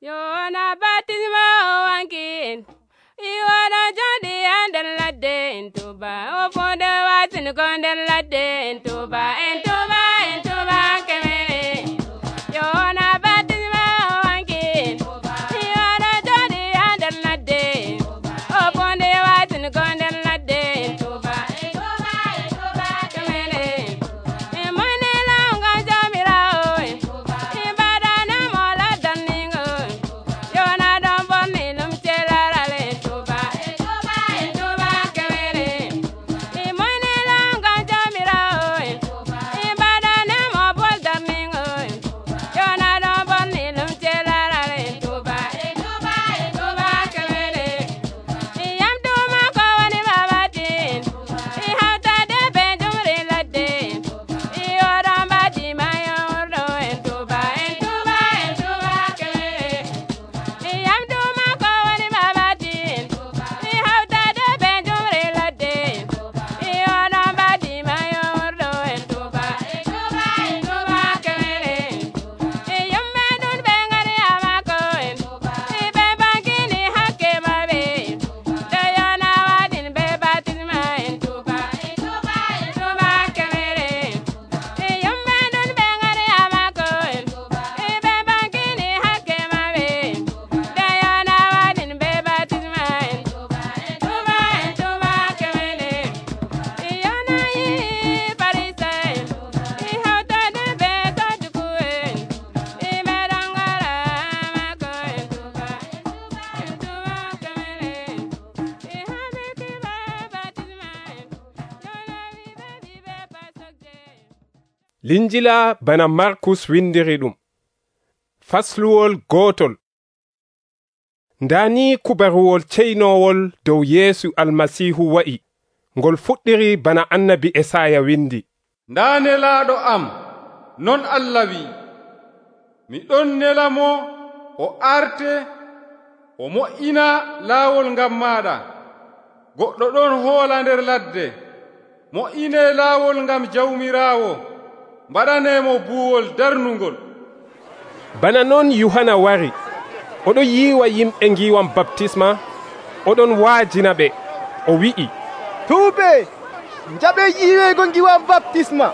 Yohana baptisma o wankin iwara jadi nder ladde en tuba o fonde watin ko nder ladde en tuba kemere. Yohana baptisma o wankin iwara jadi nder ladde o fonde watin ko nder ladde en tuba kemere. Mone longa jamira o ibadana mola daningo Yohana don bonni lum celarale tuba kemere. Mone longa jamira o ibadana mo bol daningo Yohana don bonni lum celarale tuba kemere. Yam tuma ko woni babatin hawta de be jumri ladde yoram badi mayordo en tuba kemere. Yam tuma ko woni babatin hawta de be jumri ladde yoram badi mayordo en tuba kemere. Yumme dun be ngari amako be bangini hakke mabe Yohana wadin be baptisma en tuba kemere. Yumme dun be ngari amako be bangini hakke mabe Yohana wadin be baptisma en tuba kemere. Yohana yi parisa hawta de be tajukuen be dangara amako en tuba kemere. Habiti be baptisma Yohana wi be pasokje. Linjila bana Markus windiri ɗum. Fasluwol gotol. Ndani kubaruwol ceynowol dow Yeesu almasihu wa'i, ngol fuɗɗiri bana annabi Esaya windi. Ndaa nelaaɗo am, non Allah wi, mi ɗon nela mo o arte o mo'ina laawol ngam maaɗa. Goɗɗo ɗon hoola nder ladde, mo'inee laawol ngam jawmiraawo, mbaɗaneemo buuwol darnungol. Bana non Yohana wari, oɗo yiiwa yimɓe ngiwam baptisma, oɗon waajina ɓe, o wi'i, tuube njaɓe yiiweego ngiwam baptisma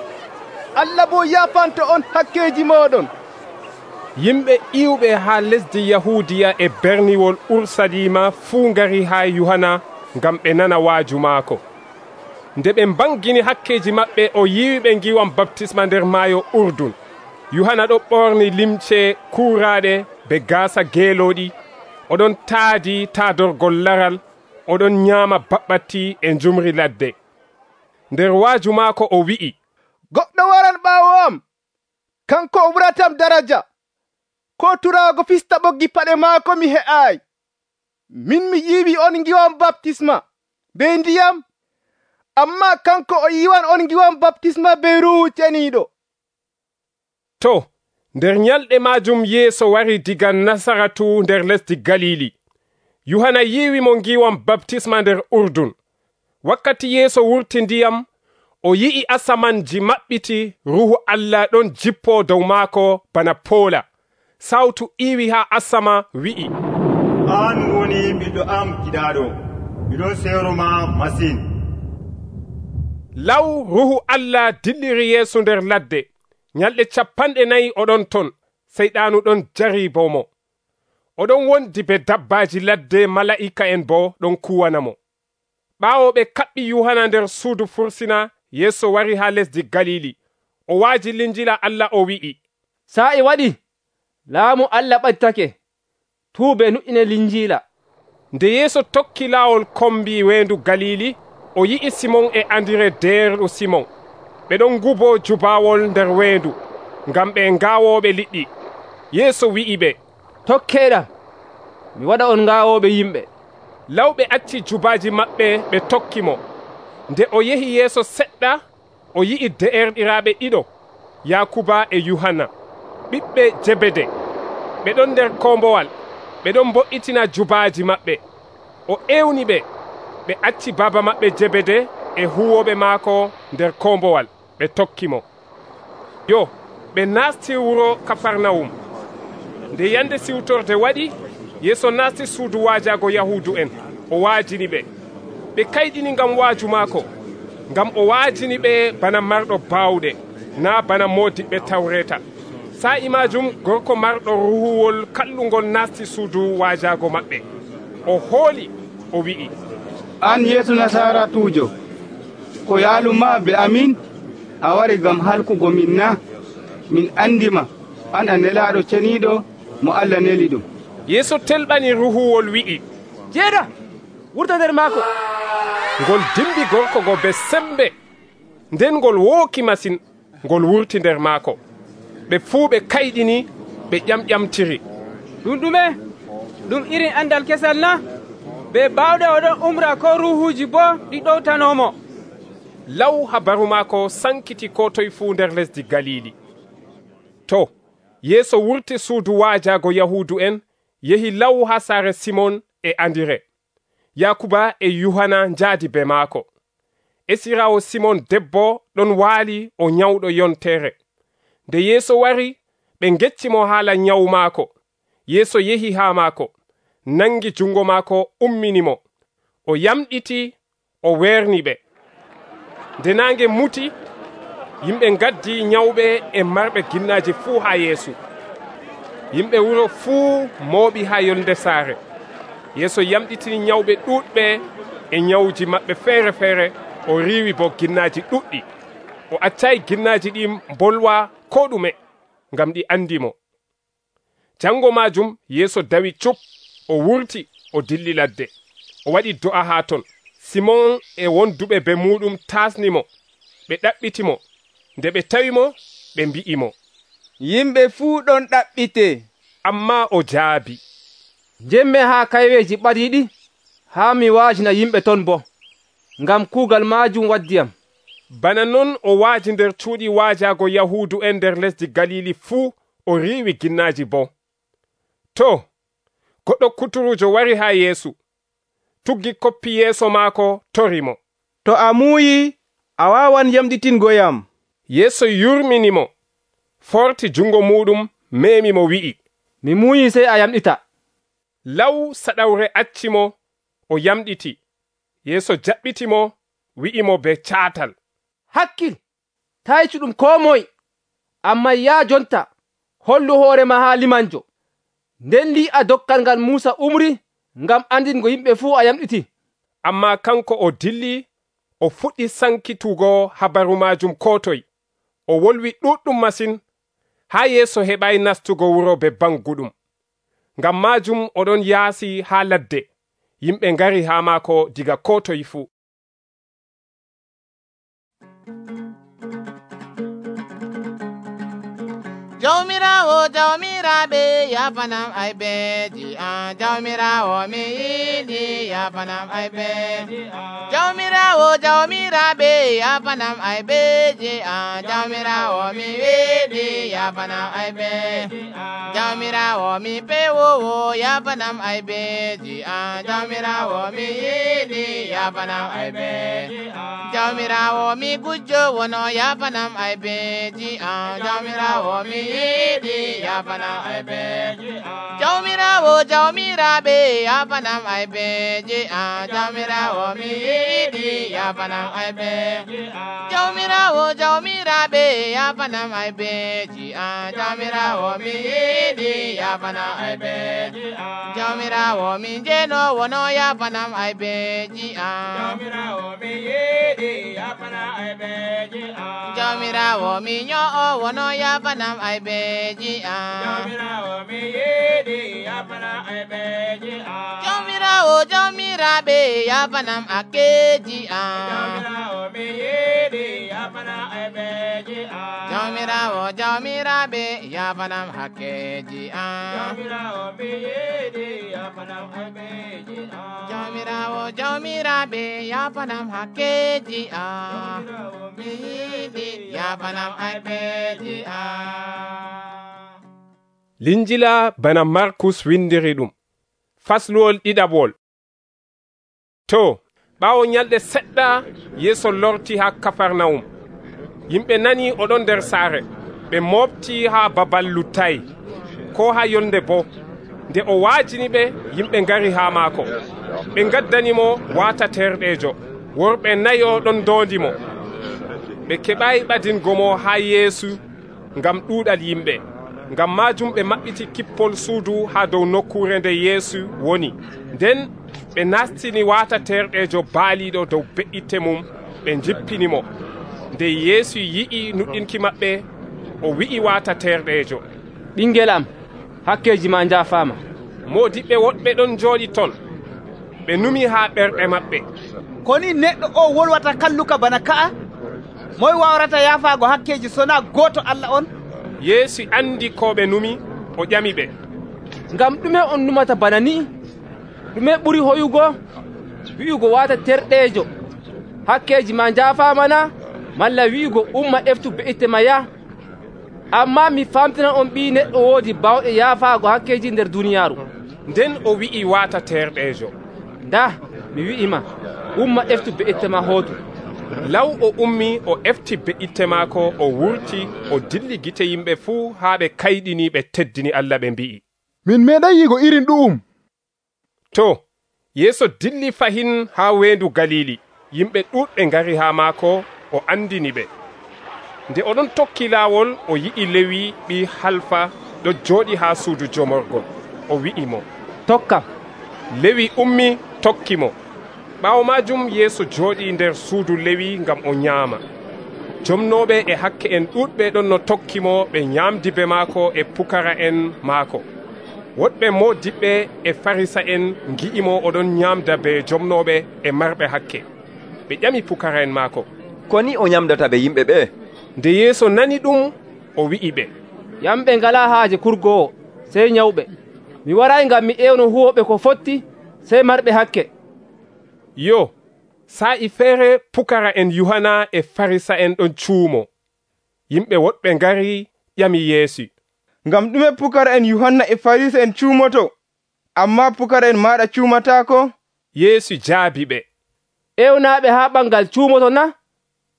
Allah bo yaafanto on hakkeji moɗon. yimɓe iwɓe haa lesdi Yahudiya e berniwol Ursalima fuu ngari haa Yohana ngam ɓe nana waaju maako. Nde ɓe mbangini hakkeji maɓɓe o yiiwiɓe ngiwam baptisma nder maayo Urdun, Yohana ɗo ɓorni limce kuuraaɗe be gaasa geelooɗi, oɗon taadi taadorgol laral, oɗon nyaama baɓɓatti e njumri ladde. Nder waaju maako o wi'i, goɗɗo waran ɓaawo am kanko o ɓuratam daraja, ko turaago fista ɓoggi paɗe maako mi he'aayi. Min mi yiiwi on ngiwam baptisma be ndiyam, amma kanko o yiwan on ngiwam baptisma be Ruuhu Ceniiɗo. To, nder nyalɗe maajum Yeesu wari diga Nasaratu nder lesdi Galili. Yohana yiiwi mo ngiwam baptisma nder Urdun. Wakkati Yeesu wurti ndiyam, o yi'i asamanji maɓɓiti, Ruuhu Allah ɗon jippo dow maako bana poola. Sawtu iwi haa asama wi'i, an woni ɓiɗɗo am giɗaaɗo, miɗon seeroma masin. Law Ruuhu Allah dilliri Yeesu nder ladde. Nyalɗe 40 oɗon ton, seyɗaanu ɗon jaribomo. Oɗon wondi be dabbaaji ladde, mala'ika en bo ɗon kuwanamo. Ɓaawo ɓe kaɓɓi Yohana nder suudu fursina, Yeesu wari haa lesdi Galili. O waaji linjila Allah o wi'i, sa'i waɗi, laamu Allah ɓaddake, tuube nu'ine linjila. Nde Yeesu tokki laawol kombi weendu Galili, o yi'i Simon e Andire deerɗo Simon. Ɓe ɗon ngubo jubaawol nder weendu, ngam ɓe ngaawooɓe liɗɗi. Yeesu wi'i ɓe, tokkeeɗam, mi waɗa on ngaawooɓe yimɓe. Lawɓe acci jubaaji maɓɓe ɓe tokki mo. Nde o yehi yeeso seɗɗa, o yi'i de'erɗiraaɓe ɗiɗo, Yakuba e Yohana, ɓiɓɓe Jebede. Ɓe ɗon nder kombowal, ɓe ɗon mbo'itina jubaaji maɓɓe. O ewni ɓe, ɓe acci baaba maɓɓe Jebede e huwoɓe maako nder kombowal, ɓe tokki mo. Yo, ɓe naasti wuro Kafarnawum. nde yande siwtorde waɗi, Yeeso naasti suudu waajaago Yahuudu en, o waajini ɓe. Ɓe kayɗini ngam waaju maako, ngam o waajini ɓe bana marɗo baawɗe, naa bana moodiɓɓe Tawreeta. Sa'i maajum gorko marɗo ruhuwol kallungol naasti suudu waajaago maɓɓe. O hooli, o wi'i, an Yeesu Nasaratuujo, ko yaaluma be amin a wari ngam halkugo min na? Min andima an a nelaaɗo ceniiɗo mo Allah neli ɗum. Yeeso telɓani ruhuwol wi'i, jeeɗa wurta nder maako. Ngol dimbi gorko go be sembe, nden ngol wooki masin, ngol wurti nder maako. Ɓe fuu ɓe kayɗini, ɓe ƴamƴamtiri. Ɗum ɗume? Ɗum irin andal kesal na? Be baawɗe oɗon umra ko ruhuuji bo ɗi ɗowtanomo. Law habaru maako sankiti ko toye fuu nder lesdi Galili. To, Yeeso wurti suudu waajaago Yahuudu en, yehi law ha saare Simon e Andire. Yakuba e Yuhana njaadi be maako. Esiraawo Simon debbo ɗon waali o nyawɗo yontere. Nde Yeeso wari, ɓe ngeccimo haala nyawu maako. Yeeso yehi haa maako, nangi jungo maako umminimo. O yamɗiti, o weerni ɓe. Nde naange muti, yimɓe ngaddi nyawɓe e marɓe ginnaaji fuu haa Yeesu. Yimɓe wuro fuu mooɓi haa yolnde saare. Yeeso yamɗitini nyawɓe ɗuuɗɓe e nyawuji maɓɓe feere feere, o riiwi bo ginnaaji ɗuɗɗi. O accayi ginnaaji ɗi mbolwa ko ɗume, ngam ɗi andimo. Jango maajum Yeeso dawi cup, o wurti, o dilli ladde. O waɗi do'a haa ton. Simon e wonduɓe be muɗum taasnimo, ɓe ɗaɓɓitimo. Nde ɓe tawimo, ɓe mbi'imo, yimɓe fuu ɗon ɗaɓɓite. Amma o jaabi, jemme haa kayweji ɓadiiɗi, haa mi waajina yimɓe ton bo, ngam kuugal maajum waddiyam. Bana non o waaji nder cuuɗi waajaago Yahuudu en nder lesdi Galili fuu, o riiwi ginnaaji bo. To, goɗɗo kuturujo wari haa Yeesu, tuggi koppi yeeso maako, torimo. To a muuyi, a waawan yamɗitingoyam. Yeeso yurminimo, forti jungo muɗum, meemimo wi'i, mi muuyi sey a yamɗita. Law saɗawre accimo, o yamɗiti. Yeeso jaɓɓitimo, wi'imo be caatal, hakkil, taa yeccu ɗum koo moye, amma yaa jonta hollu hoorema haa limanjo. Nden lii'a dokkal ngal Muusa umri ngam andingo yimɓe fuu a yamɗiti. Amma kanko o dilli, o fuɗɗi sankitugo habaru maajum ko toye. O wolwi ɗuɗɗum masin, haa Yeeso heɓay nastugo wuro be banguɗum. Ngam maajum oɗon yaasi haa ladde, yimɓe ngari haa maako diga ko toye fuu. Jawmirawo jawmiraɓe yafanam aybeji an jawmirawo mi yiɗi yafanam aybeji an jawmirawo jawmiraɓe yafanam aybeji an jawmirawo mi yiɗi yafanam aybeji an jawmirawo mi pewowo yafanam aybeji an jawmirawo mi yiɗi yafanam aybeji an jawmirawo mi gujjo wono yafanam aybeji an jawmirawo mi yiɗi yafanam aybeji an jawmirawo jawmiraɓe yafanam aybeji an jawmirawo mi yiɗi yafanam aybeji an jawmirawo jawmiraɓe yafanam aybeji an jawmirawo mi yiɗi yafanam aybeji an jawmirawo mi jeno wono yafanam aybeji an jawmirawo mi yiɗi yafanam aybeji an jawmirawo mi nyo'o wono yafanam aybeji an jawmirawo mi yiɗi yafanam aybeji an jawmirawo jawmiraɓe yafanam akkeji an jawmirawo mi yiɗi yafanam aybeji an jawmirawo jawmiraɓe yafanam hakkeji an jawmirawo mi yiɗi yafanam aybeji an jawmirawo jawmiraɓe yafanam hakkeji an jawmirawo mi yiɗi yafanam aybeji an. Linjila bana Markus windiri ɗum. Fasluwol ɗiɗaɓol. To, ɓaawo nyalɗe seɗɗa, Yeeso lorti haa Kafarnawum. Yimɓe nani oɗon nder saare, ɓe moofti haa babal luttay. ko ha yolnde boo. Nde o waajini ɓe, yimɓe ngari haa maako. Ɓe ngaddanimo waata terɗeejo. Worɓe nayo ɗon ndondimo. Ɓe keɓayi ɓadingo mo haa Yeesu ngam ɗuuɗal yimɓe. Ngam maajum ɓe maɓɓiti kippol suudu haa dow nokkuure nde Yeesu woni. Nden ɓe nastini waata terɗeejo baaliiɗo dow be'itte mum, ɓe jippinimo. Nde Yeesu yi'i nuɗɗinki maɓɓe, o wi'i waata terɗeejo, ɓingel am, hakkeji ma njaafaama. Moodiɓɓe woɗɓe ɗon jooɗi ton. Ɓe numi haa ɓerɗe maɓɓe, koni neɗɗo o wolwata kalluka bana ka'a? Moy wawrata yaafaago hakkeji sona gooto Allah on? Yeesu andi ko ɓe numi, o ƴami ɓe, ngam ɗume on numata bana ni? Ɗume ɓuri hoyugo? Wi'ugo waata terɗeejo, hakkeji ma njaafaamana, malla wi'ugo umma eftu be'itte ma ya? Amma mi famtina on ɓii neɗɗo woodi bawɗe yaafaago hakkeji nder duniyaaru. Nden o wi'i waata terɗeejo, nda mi wi'ima, umma eftu be'itte ma hootu. Law o ummi o efti be'itte maako, o wurti, o dilli gite yimɓe fuu haa ɓe kayɗini ɓe teddini Allah ɓe mbi'i, min meeɗay yigo irin ɗu'um. To, Yeesu dilli fahin haa weendu Galili. Yimɓe ɗuuɗɓe ngari haa maako, o andini ɓe. Nde oɗon tokki laawol, o yi'i Lewi ɓii Halfa ɗo jooɗi haa suudu jomorgol. O wi'i mo, tokkam. Lewi ummi tokki mo. Ɓaawo maajum Yeesu jooɗi nder suudu Lewi ngam o nyaama. Jomnooɓe e hakke en ɗuuɗɓe ɗon no tokki mo, ɓe nyaamdibe maako e pukara en maako. Woɗɓe moodiɓɓe e Farisa en ngi'imo oɗon nyaamda be jomnooɓe e marɓe hakke. Ɓe ƴami pukara en maako, ko ni o nyamdata be yimɓe ɓe? Nde Yeesu nani ɗum, o wi'i ɓe, yamɓe ngala haaje kurgowo, sey nyawɓe. Mi warayi ngam mi ƴewno huwoɓe ko fotti, sey marɓe hakke. Yo, sa'i feere pukara en Yuhana e Farisa en ɗon cuumo. Yimɓe woɗɓe ngari ƴami Yeesu, ngam ɗume pukara en Yuhanna e Farisa en cuumoto, amma pukara en maɗa cuumataako? Yeesu jaabi ɓe, ƴewnaaɓe haa ɓangal cuumoto na?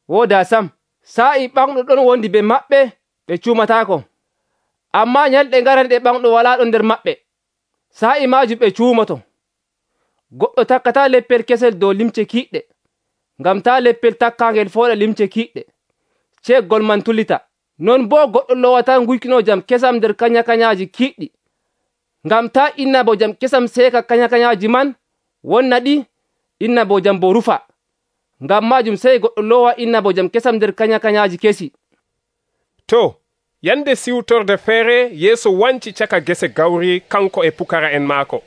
Wooda sam. Sa'i ɓanɗo ɗon wondi be maɓɓe, ɓe cuumataako. Amma nyalɗe ngaranɗe ɓanɗo walaa ɗon nder maɓɓe, sa'i maajum ɓe cuumoto. Goɗɗo takkata leppel kesel dow limce kiiɗɗe, ngam taa leppel takkaangel fooɗa limce kiiɗɗe, ceeggol man tulita. Non boo goɗɗo lowata nguykino jam kesam nder kanya-kanyaaji kiiɗɗi, ngam taa innabo jam kesam seeka kanya-kanyaaji man wonna ɗi, innabo jam bo rufa. Ngam maajum sey goɗɗo lowa innabo jam kesam nder kanya-kanyaaji kesi. To, yande siwtorde feere Yeesu wanci caka gese gawri kanko e pukara en maako.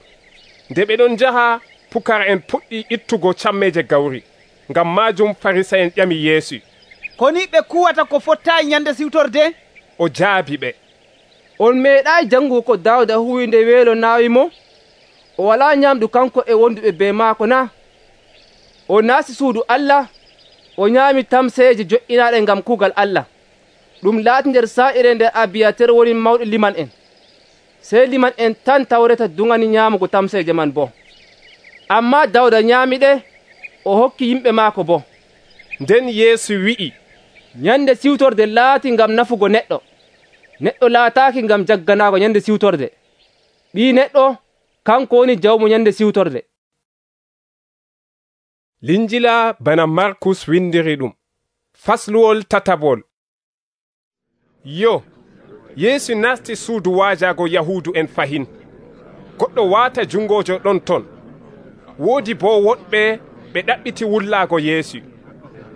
Nde ɓe ɗon njaha, pukara en puɗɗi ittugo cammeje gawri. Ngam maajum Farisa en ƴami Yeesu, koni ɓe kuwata ko fottayi nyande siwtorde? O jaabi ɓe, on meeɗayi jangugo ko Daawuda huwi nde weelo naawi mo? O walaa nyamdu kanko e wonduɓe be maako na? O naasti suudu Allah, o nyaami tamseeje jo'inaaɗe ngam kuugal Allah. Ɗum laati nder saa'ire nde Abiyatar woni mawɗo liman en. Sey liman en tan tawreta dungani nyaamugo tamseeje man bo. Amma Daawuda nyaamiɗe, o hokki yimɓe maako bo. Nden Yeesu wi'i, nyande siwtorde laati ngam nafugo neɗɗo. Neɗɗo laataaki ngam jagganaago nyande siwtorde. Ɓii neɗɗo kanko woni jawmo nyande siwtorde. Linjila bana Markus windiri ɗum. Fasluwol tatabol. Yo, Yeesu nasti suudu waajago Yahuudu en fahin. Goɗɗo waata jungojo ɗon ton. Woodi bo woɗɓe ɓe ɗaɓɓiti wullaago Yeesu.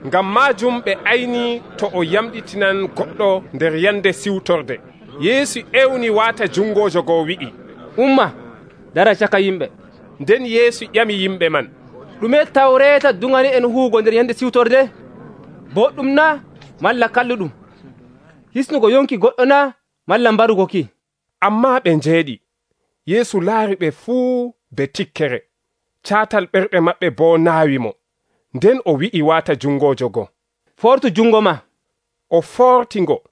Ngam maajum ɓe ayni to o yamɗitinan goɗɗo nder yande siwtorde. Yeesu ewni waata jungojo go wi'i, umma, dara caka yimɓe. Nden Yeesu ƴami yimɓe man, ɗume tawreeta dungani en huugo nder yande siwtorde? Boɗɗum na, malla kalluɗum? Hisnugo yonki goɗɗo na, malla mbarugo ki? Amma ɓe njeeɗi. Yeesu laari ɓe fuu be tikkere. Caatal ɓerɗe maɓɓe bo naawi mo. Nden o wi'i waata jungojo go, fortu jungo ma. O fortingo.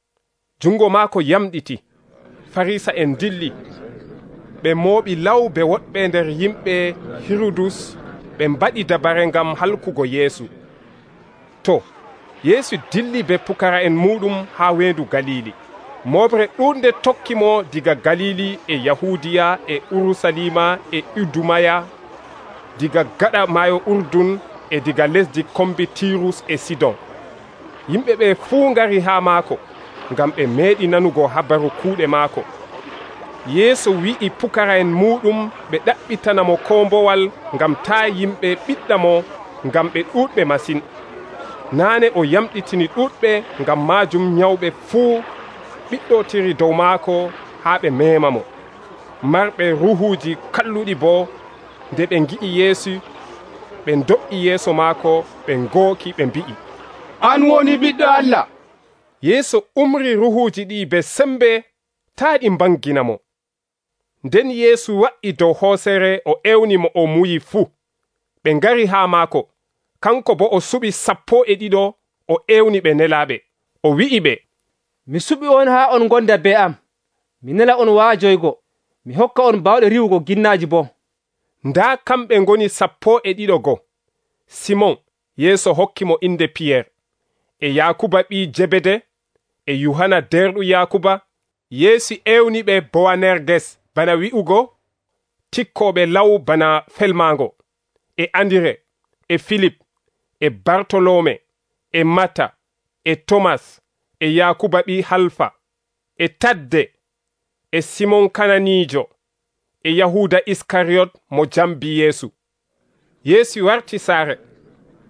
Jungo maako yamɗiti. Farisa en dilli. Ɓe mooɓi lawbe woɗɓe nder yimɓe Hirudus, ɓe mbaɗi dabare ngam halkugo Yeesu. To, Yeesu dilli be pukara en muɗum haa weendu Galili. moɓre ɗuɗde tokki mo diga galili e yahudiya e urusalima e idumaya, diga gaɗa maayo urdun e diga lesdi kombi tirus e sidon. Yimɓe ɓe fuu ngari haa maako ngam ɓe meeɗi nanugo habaru kuuɗe maako. Yeesu wi'i pukara'en muɗum ɓe ɗaɓɓitana mo kombowal ngam taa yimɓe ɓiɗɗa mo ngam ɓe ɗuɗɓe masin. Naane o yamɗitini ɗuɗɓe, ngam maajum nyawɓe fuu ɓiɗɗotiri dow maako haa ɓe meema mo. Marɓe ruhuuji kalluɗi boo nde ɓe ngi'i Yeesu, ɓe do'i yeeso maako, ɓe ngooki ɓe mbi'i, an woni ɓiɗɗo Allah. Yeesu umri ruhuuji ɗi be sembe taa ɗi mbangina mo. Nden Yeesu wa'i dow hoosere o ewni mo o muyi fuu. Ɓe ngari haa maako, kanko bo o suɓi 12 o ewni ɓe nelaaɓe. O wi'i ɓe, mi suɓi on haa on gonda be am. Mi nela on waajoygo, mi hokka on bawɗe riwugo ginnaaji boo. Ndaa kamɓe ngoni 12 Simon, Yeesu hokki mo inde Piyeer, e Yakuba ɓii Jebede, e Yuhana derɗo Yakuba. Yeesu ewni ɓe Bowanerges, bana wi'ugo tikkoɓe law bana felmango, e Andire, e Filip, e Bartolome, e Mata, e Tomas, e Yakuba ɓii Halfa, e Tadde, e Simon Kananijo, e Yahuda Iskariyot mo jambi Yeesu. Yeesu warti saare,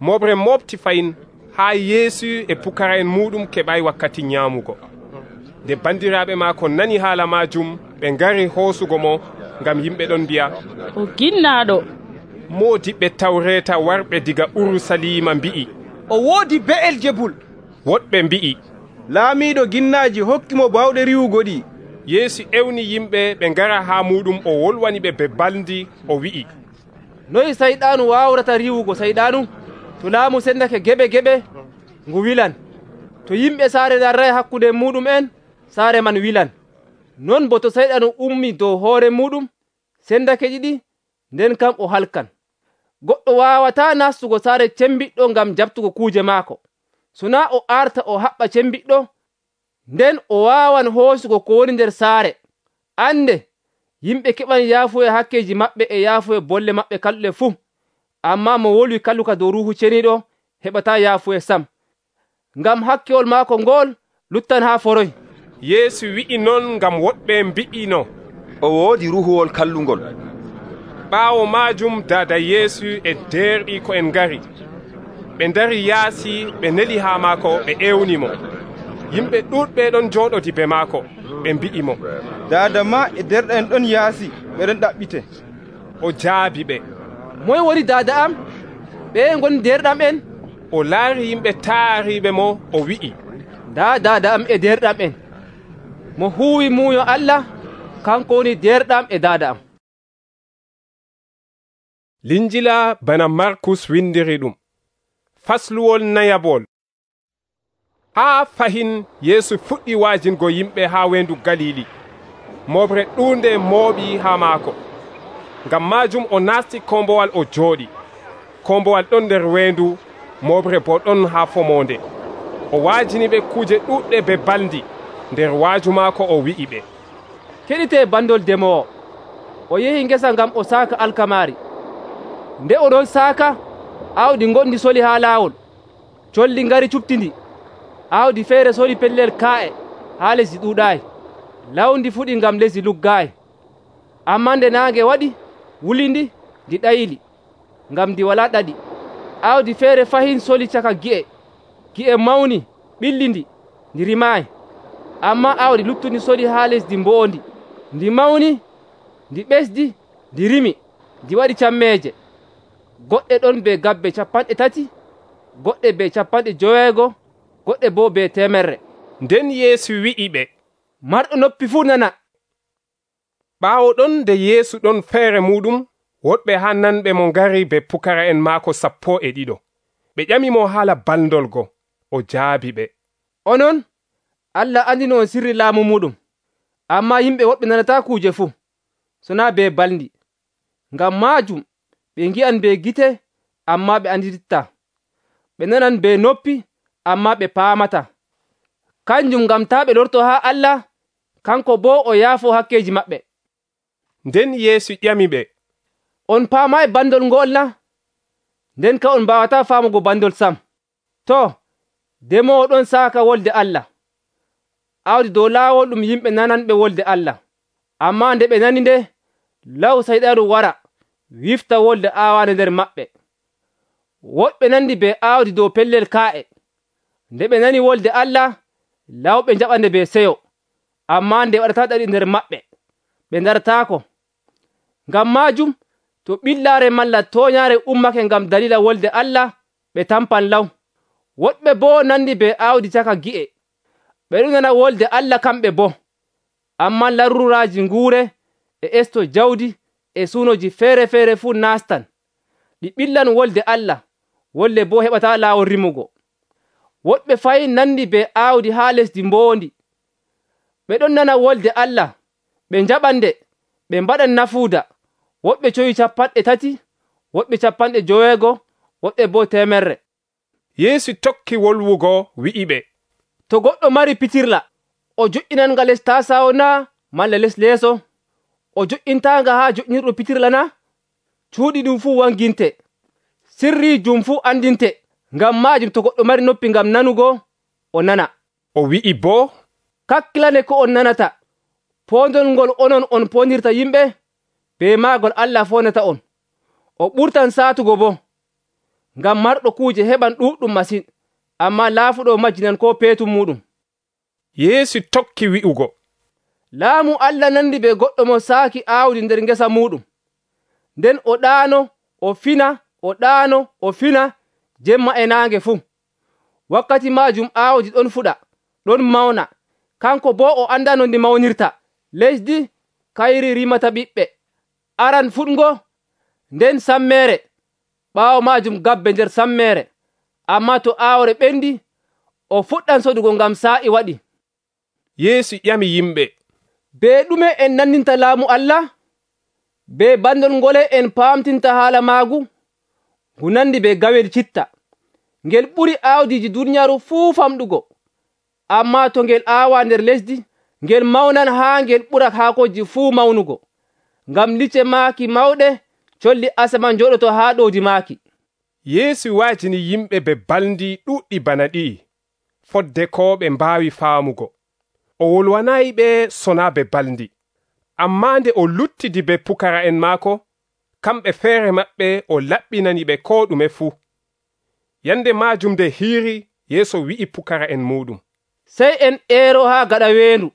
moɓre mofti fayin haa Yeesu e pukara'en muɗum keɓay wakkati nyaamugo. Nde bandiraɓe maako nani haala majum, ɓe ngari hoosugo mo ngam yimɓe ɗon mbi'a, o ginnaɗo. Moodiɓɓe tawreta warɓe diga Urusalima mbi'i, o woodi Be'eljebul. woɗɓe mbi'i, laamiiɗo ginnaaji hokkimo bawɗe riwugo ɗi. Yeesu ewni yimɓe ɓe ngara haa muɗum, o wolwani ɓe be baldi, o wi'i, noyi sayɗaanu wawrata riwugo sayɗaanu? To laamu sendake geɓe ngu wilan. To yimɓe saare darray hakkunde muɗum en, saare man wilan. Non bo to sayɗaanu ummi dow hoore muɗum sendake ɗiɗi, nden kam o halkan. Goɗɗo wawata nastugo saare cembiɗɗo ngam jabtugo kuuje maako. Sona o arta o haɓɓa cembiɗɗo, nden o wawan hoosugo ko woni nder saare. Ande, yimɓe keɓan yaafuya hakkeji maɓɓe e yaafuya bolle maɓɓe kalluɗe fuu. Amma mo wolwi kalluka dow Ruuhu Ceniiɗo heɓata yaafuya sam, ngam hakkewol maako ngol luttan haa foroy. Yeesu wi'i non ngam woɗɓe mbi'ino, o woodi ruhuwol kallungol. ɓaawo maajum daada Yeesu e derɗiiko en ngari. Ɓe ndari yaasi, ɓe neli haa maako, ɓe ewnimo. Yimɓe ɗuɗɓe ɗon jooɗodi be maako, ɓe mbi'i mo, daada ma e derɗa en ɗon yaasi, ɓeɗon ɗaɓɓite. O jaabi ɓe, moye woni daada am? ɓe ngoni derɗam en? O laari yimɓe taariɓe mo, o wi'i, nda daada am e derɗam en. Mo huwi muuyo Allah, kanko woni derɗam e daada am. Linjila bana Markus windiri ɗum. Fasluwol nayabol. Haa fahin Yeesu fuɗɗi waajingo yimɓe haa wendu Galili. Moɓre ɗuunde mooɓi haa maako. Ngam maajum o naasti kombowal o jooɗi. Kombowal ɗon nder wendu, moɓre bo ɗon haa fomonde. O waajini ɓe kuuje ɗuɗɗe be baldi. Nder waaju maako o wi'i ɓe, keɗite bandol demowo. O yehi ngesa ngam o saaka alkamari. Nde o ɗon saaka, awdi gondi soli haa laawol. Colli ngari cuɓtindi. Awdi feere soli pellel kaa'e haa lesdi ɗuuɗaayi. Lawndi fuɗi ngam lesdi luggaayi. Ammaa nde naange waɗi, wulindi, ndi ɗayili, ngam ndi walaa ɗaɗi. Awdi feere fahin soli caka gi'e. Gi'e mawni, ɓillindi, ndi rimaayi. Ammaa awdi luttundi soli haa lesdi mboondi. Ndi mawni, ndi ɓesdi, ndi rimi, ndi waɗi cammeeje. Goɗɗe ɗon be gabbe 30, goɗɗe be 90, goɗɗe bo be 100. Nden Yeesu wi'i ɓe, marɗo noppi fuu nana. Ɓaawo ɗon nde Yeesu ɗon feere muɗum, woɗɓe haa nanɓe mo ngari be pukara'en maako 12. Ɓe ƴamimo haala baldolgo. O jaabi ɓe, onon Allah andino on sirri laamu muɗum, amma yimɓe woɓɓe nanata kuuje fuu, sona be baldi. Ngam maajum ɓe ngi'an be gite, amma ɓe andititta. Ɓe nanan be noppi, amma ɓe paamata. kanjum ngam taa ɓe lorto haa Allah, kanko boo o yaafo hakkeeji maɓɓe. Nden Yeesu ƴamiɓe, on paamay bandol ngol na? Nden ka on mbaawataa faamugo bandol sam. To, demoowo ɗon saaka wolde Allah. Aawdi dow laawol ɗum yimɓe nananɓe wolde Allah. Ammaa nde ɓe nani nde, law sayɗaaru wara wifta wolde aawaande nder maɓɓe. Woɓɓe nandi be aawdi dow pellel kaa'e. Nde ɓe nani wolde Allah, lawɓe njaɓande be seyo. Ammaa nde waɗataa ɗaɗi nder maɓɓe, ɓe ndarataako. Ngam maajum, to ɓillaare malla tooñaare ummake ngam dalila wolde Allah, ɓe tampan law. Woɗɓe boo nandi be aawdi caka gi'e. Ɓe ɗon nana wolde Allah kamɓe boo. Ammaa laruraaji nguure e esto jawdi e suunoji feere-feere fuu naastan. Ɗi ɓillan wolde Allah, wolde boo heɓataa laawol rimugo. Woɗɓe fayin nandi be aawdi haa lesdi mboondi. Ɓe ɗon nana wolde Allah, ɓe njaɓande, ɓe mbaɗan nafuuda. Woɓɓe coyi 30, woɓɓe 50, woɓɓe boo 100. Yeesu tokki wolwugo wi'iɓe, to goɗɗo mari pitirla, o joƴƴinanga les tasawo na malla les leeso? O joƴƴintanga haa joƴƴinirɗo pitirla na? Cuuɗi ɗum fuu wanginte, sirrijum fuu andinte. Ngam maajum to goɗɗo mari noppi ngam nanugo, o nana. O wi'i boo, kakkilane ko on nanata. Poondol ngol onon on poondirta yimɓe, be maagol Allah foonata on. O ɓurtan saatugo boo. Ngam marɗo kuuje heɓan ɗuuɗɗum masin, ammaa laafuɗo majjinan ko peetum muɗum. Yeesu tokki wi'ugo, laamu Allah nandi be goɗɗo mo saaki aawdi nder ngesa muɗum. Nden o ɗaano, o fina, o ɗaano, o fina, jemma e naange fuu. Wakkati maajum aawdi ɗon fuɗa, ɗon mawna. Kanko boo o anda no ndi mawnirta. Lesdi kayri rimata ɓiɓɓe, aran fuɗngo, nden sammeere, ɓaawo maajum gabbe nder sammeere. Ammaa to aawre ɓendi, o fuɗɗan sodugo ngam saa'i waɗi. Yeesu ƴami yimɓe, be ɗume en nandinta laamu Allah? Be bandol ngole en paamtinta haala maagu? Ngu nandi be gawel citta. Ngel ɓuri aawdiiji duniyaaru fuu famɗugo. Ammaa to ngel aawa nder lesdi, ngel mawnan haa ngel ɓura haakoji fuu mawnugo. Ngam lice maaki mawɗe, colli asaman jooɗoto haa ɗowdi maaki. Yeesu waajini yimɓe be balndi ɗuɗɗi bana ɗi, fodde ko ɓe mbaawi faamugo. O wolwanayi ɓe sona be balndi. Ammaa nde o luttidi be pukara'en maako, kamɓe feere maɓɓe o laɓɓinani ɓe ko ɗume fuu. Yande maajum nde hiiri, Yeesu wi'i pukara'en muɗum, sey en eero haa gaɗa weendu.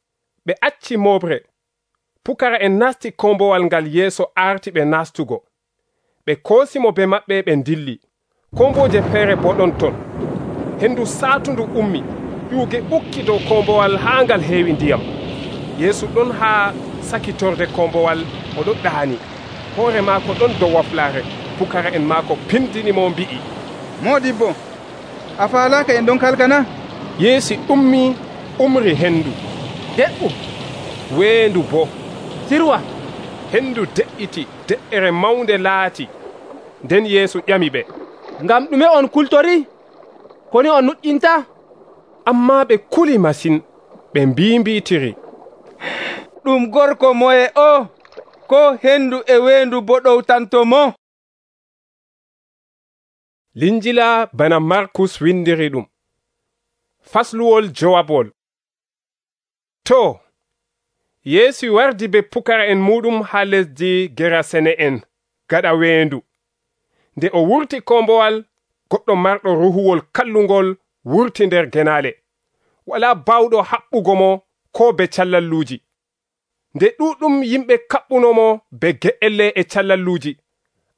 Ɓe acci moɓre. Pukara'en nasti kombowal ngal Yeesu arti ɓe nastugo. Ɓe koosimo be maɓɓe ɓe dilli. Komboje feere bo ɗon ton. Hendu saatundu ummi, ƴuuge ɓukki dow kombowal haa ngal heewi ndiyam. Yeesu ɗon haa sakitorde kombowal, o ɗon ɗaani. Hoore maako ɗon dow waflaare. Pukara'en maako pindinimo mbi'i, Moodibbo, a faalaaka en ɗon kalkana? Yeesu umri hendu. De'u, weendu bo. sirwa. Hendu de'iti, de'ere mawnde laati. Nden Yeesu ƴami ɓe, ngam ɗume on kultori? Koni on nuƴƴinta? Ammaa ɓe kuli masin, ɓe mbimbitiri, ɗum gorko moye o, ko hendu e weendu bo ɗowtanto mo? Linjila bana Markus windiri ɗum. Fasluwol jowabol. To, Yeesu wardi be pukara'en muɗum haa lesdi Gerasene'en gaɗa weendu. Nde o wurti kombowal, goɗɗo marɗo ruhuwol kallungol wurti nder genaale. Wala bawɗo haɓɓugo mo ko be callalluuji. Nde ɗuɗɗum yimɓe kaɓɓunomo be ge'elle e callalluuji.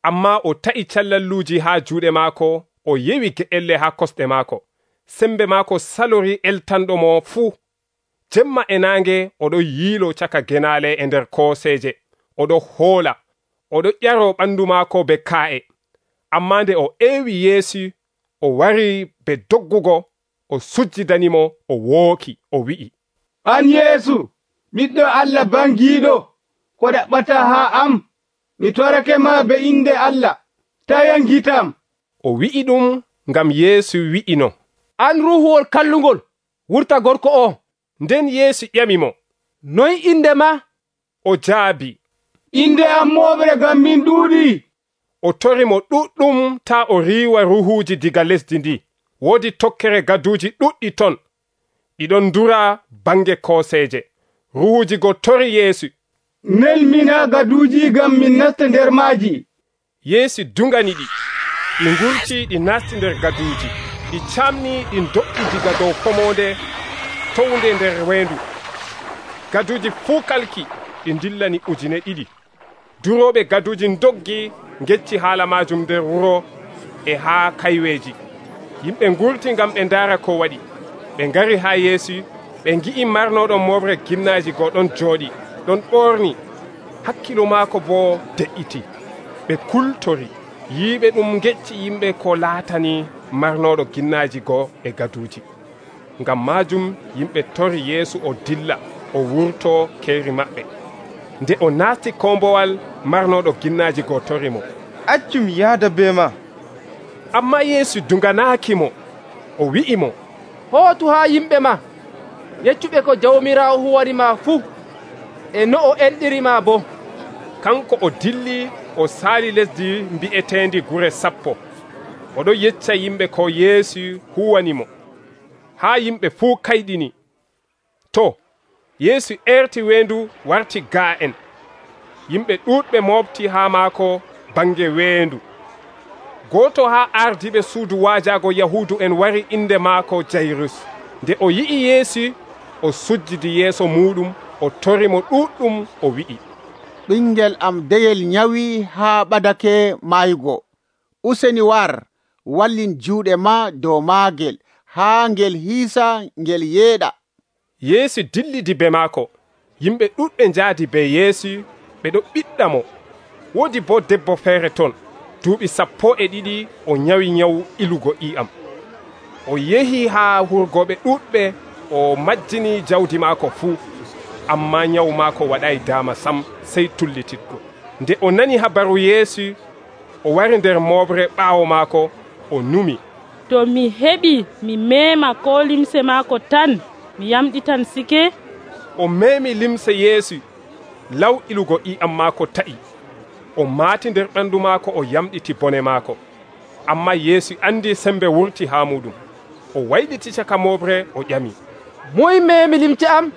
Amma o ta'i callalluuji haa juuɗe maako, o yewi ge'elle haa kosɗe maako. Sembe maako salori eltanɗo mo fuu. Jemma e naange oɗo yiilo caka genaale e nder kooseeje. Oɗo hoola, oɗo ƴaro ɓandu maako be kaa'e. Amma nde o eewi Yeesu, o wari be doggugo, o sujjidanimo, o wooki, o wi'i, An Yeesu, ɓiɗɗo Allah bangiiɗo, ko ɗaɓɓata haa am? Mi torake ma be inde Allah, ta yangitam. O wi'i ɗum ngam Yeesu wi'ino, an ruhuwol kallungol, wurta gorko o. Nden Yeesu ƴamimo, noy inde ma? O jaabi, inde am moɓre ngam min ɗuuɗi. O torimo ɗuɗɗum taa o riiwa ruhuuji diga lesdi ndi. Woodi tokkere gaduuji ɗuɗɗi ton, ɗiɗon dura bange kooseeje. Ruhuuji go tori Yeesu. Nelmina gaduuji ngam min nasta nder maaji. Yeesu dungani ɗi ngurti ɗi nasti nder gaduuji. Ɗi camni ɗi do'i diga dow komonde townde nder weendu. Gaduuji fuu kalki ɗi dillani 2,000. Durooɓe gaduuji doggi ngecci haala majum nder wuro e haa kayweeji. Yimɓe ngurti ngam ɓe ndaara ko waɗi. Ɓe ngari haa Yeesu, ɓe ngi'i marnoɗon moɓre ginnaaji go ɗon jooɗi, ɗon ɓorni, hakkilo maako boo de'iti. Ɓe kultori yiiɓe ɗum ngecci yimɓe ko laatani marnoɗo ginnaaji go e gaduuji. Ngam maajum yimɓe tori Yeesu o dilla o wurto keeri maɓɓe. Nde o naasti kombowal, marnoɗo ginnaaji go torimo, accum yaada be ma. Amma Yeesu dunganaakimo. O wi'imo, hootu haa yimɓe ma, yeccuɓe ko Jawmiraawo huwanima fuu e no o enɗirima bo. Kanko o dilli o saali lesdi mbi'eteendi Gure Sappo. Oɗo yecca yimɓe ko Yeesu huwanimo, haa yimɓe fuu kayɗini. To, Yeesu erti weendu warti gaa'en. Yimɓe ɗuuɗɓe moofti haa maako bange weendu. Gooto haa ardiɓe suudu waajaago Yahuudu en wari inde maako Jayrus. Nde o yi'i Yeesu, o sujjidi yeeso muɗum, o torimo ɗuɗɗum, o wi'i, ɓingel am deyel nyawi haa ɓadake mayugo. Useni war, wallin juuɗe ma dow maagel haa ngel hiisa ngel yeeɗa. Yeesu dillidi be maako. Yimɓe ɗuɗɓe njaadi be Yeesu, ɓe ɗo ɓiɗɗa mo. Woodi bo debbo feere ton, duuɓi 12 o nyawi nyawu ilugo iyam. O yehi haa hurgoɓe ɗuɗɓe, o majjini jawdi maako fuu, amma nyawu maako waɗay daama sam, sey tullititgo. Nde o nani habaru Yeesu, o wari nder moɓre ɓaawo maako, o numi, to mi heɓi mi meema ko limse maako tan, mi yamɗitan sike. O meemi limse Yeesu, law ilugo iyam maako ta'i. O maati nder ɓandu maako, o yamɗiti bone maako. Amma Yeesu andi sembe wurti haa muɗum. O wayliti caka moɓre, o ƴami, moy meemi limce am?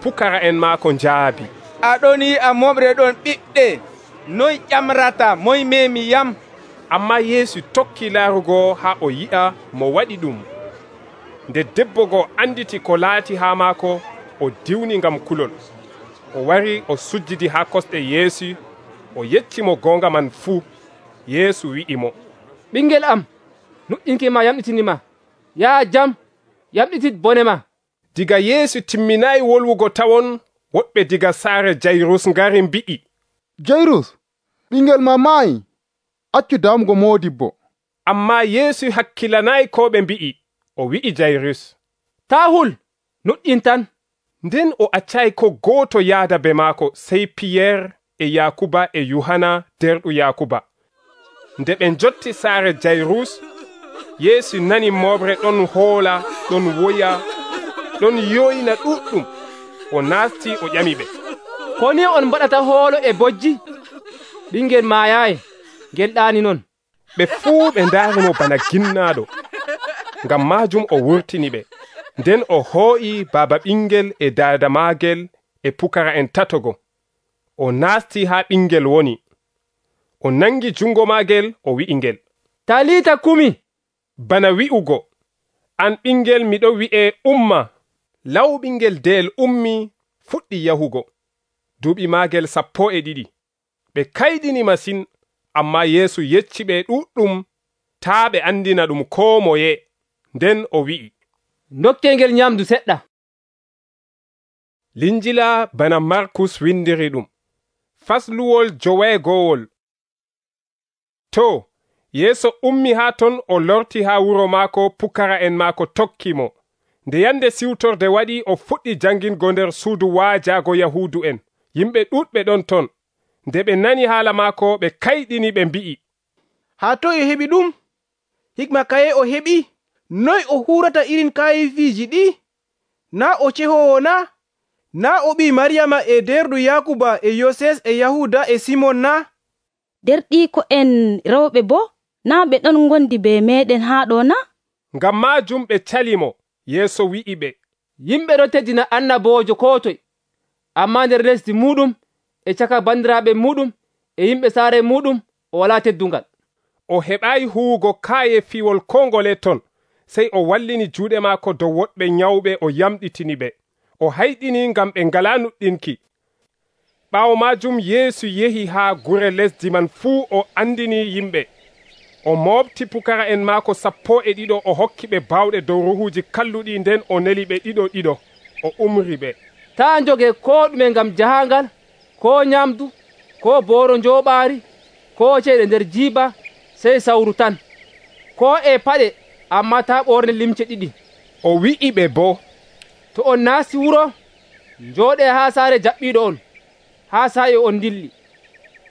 Pukara en maako njaabi, aɗon yi'a moɓre ɗon ɓiɓɗe, noy ƴamrata moy meemi yam? Amma Yeesu tokki laarugo haa o yi'a mo waɗi ɗum. Nde debbo go anditi ko laati haa maako, o diwni ngam kulol. O wari o sujjidi haa kosɗe Yeesu, o yeccimo goonga man fuu. Yeesu wi'imo, ɓingel am, nuƴƴinki ma yamɗitinima. Yaa jam, yamɗitit bone ma. Diga Yeesu timminayi wolwugo tawon, woɓɓe diga saare Jayrus ngari mbi'i, Jayrus, ɓingel ma maayi, accu damugo moodibbo. Amma Yeesu hakkilanayi ko ɓe mbi'i. O wi'i Jayrus, taa hul, nuƴƴin tan. Nden o accayi ko gooto yaada be maako, sey Piyeer e Yakuba e Yohana derɗo Yakuba. Nde ɓe jotti saare Jayrus, Yeesu nani moɓre ɗon hoola, ɗon woya, ɗon yoyna ɗuɗɗum. O naasti o ƴami ɓe, ko ni on mbaɗata hoolo e bojji? Ɓingel maayayi, ngel ɗaani non. Ɓe fuu ɓe ndaarimo bana ginnaaɗo. Ngam maajum o wurtini ɓe. Nden o hoo'i baaba ɓingel e daada maagel e pukara en tatogo. O naasti haa ɓingel woni. O nangi jungo maagel, o wi'ingel, Talita kumi, bana wi'ugo, an ɓingel miɗo wi'e umma. Law ɓingel deyel ummi, fuɗɗi yahugo. Duuɓi maagel 12. Ɓe kayɗini masin, amma Yeesu yecci ɓe ɗuɗɗum taa ɓe andina ɗum koo moye. Nden o wi'i, dokkengel nyamdu seɗɗa. Linjila bana Markus windiri ɗum. Fasluwol 9. To, Yeesu ummi haa ton, o lorti haa wuro maako, pukara en maako tokki mo. Nde yande siwtorde waɗi, o fuɗɗi jangingo nder suudu waajaago Yahuudu en. Yimɓe ɗuɗɓe ɗon ton. Nde ɓe nani haala maako, ɓe kayɗini, ɓe mbi'i, haa toye o heɓi ɗum? Hikma kaye o heɓi? Noy o hurata irin kayifiiji ɗi? naa o cehowo na? Naa o ɓii Maryama e derɗo Yakuba e Yoses e Yahuda e Simon na? Derɗiiko'en rewɓe boo naa ɓe ɗon ngondi be meeɗen haa ɗo na? Ngam maajum ɓe calimo. Yeesu wi'i ɓe, yimɓe ɗon teddina annaboojo koo toye, ammaa nder lesdi muuɗum e caka bandiraaɓe muuɗum e yimɓe saare muuɗum o walaa teddungal. O heɓaayi huwugo kaaye fiwol koo ngole ton, sey o wallini juuɗe maako dow woɗɓe nyawɓe o yamɗitini ɓe. O hayɗini ngam ɓe ngalaa nuɗɗinki. Ɓaawo maajum Yeesu yehi haa gure lesdi man fuu o andini yimɓe. O moobti pukara'en maako 12 o hokki ɓe baawɗe dow ruuhuuji kalluɗi, nden o neli ɓe ɗiɗo o umri ɓe. Taa njogee koo ɗume ngam jahangal, koo nyamdu, koo booro njooɓaari, koo ceeɗe nder jiiba, sey sawru tan, koo e paɗe, ammaa taa ɓorne limce 2. O wi'i ɓe boo, to on naasti wuro, njooɗee haa saare jaɓɓiiɗo on, haa saa'i on dilli.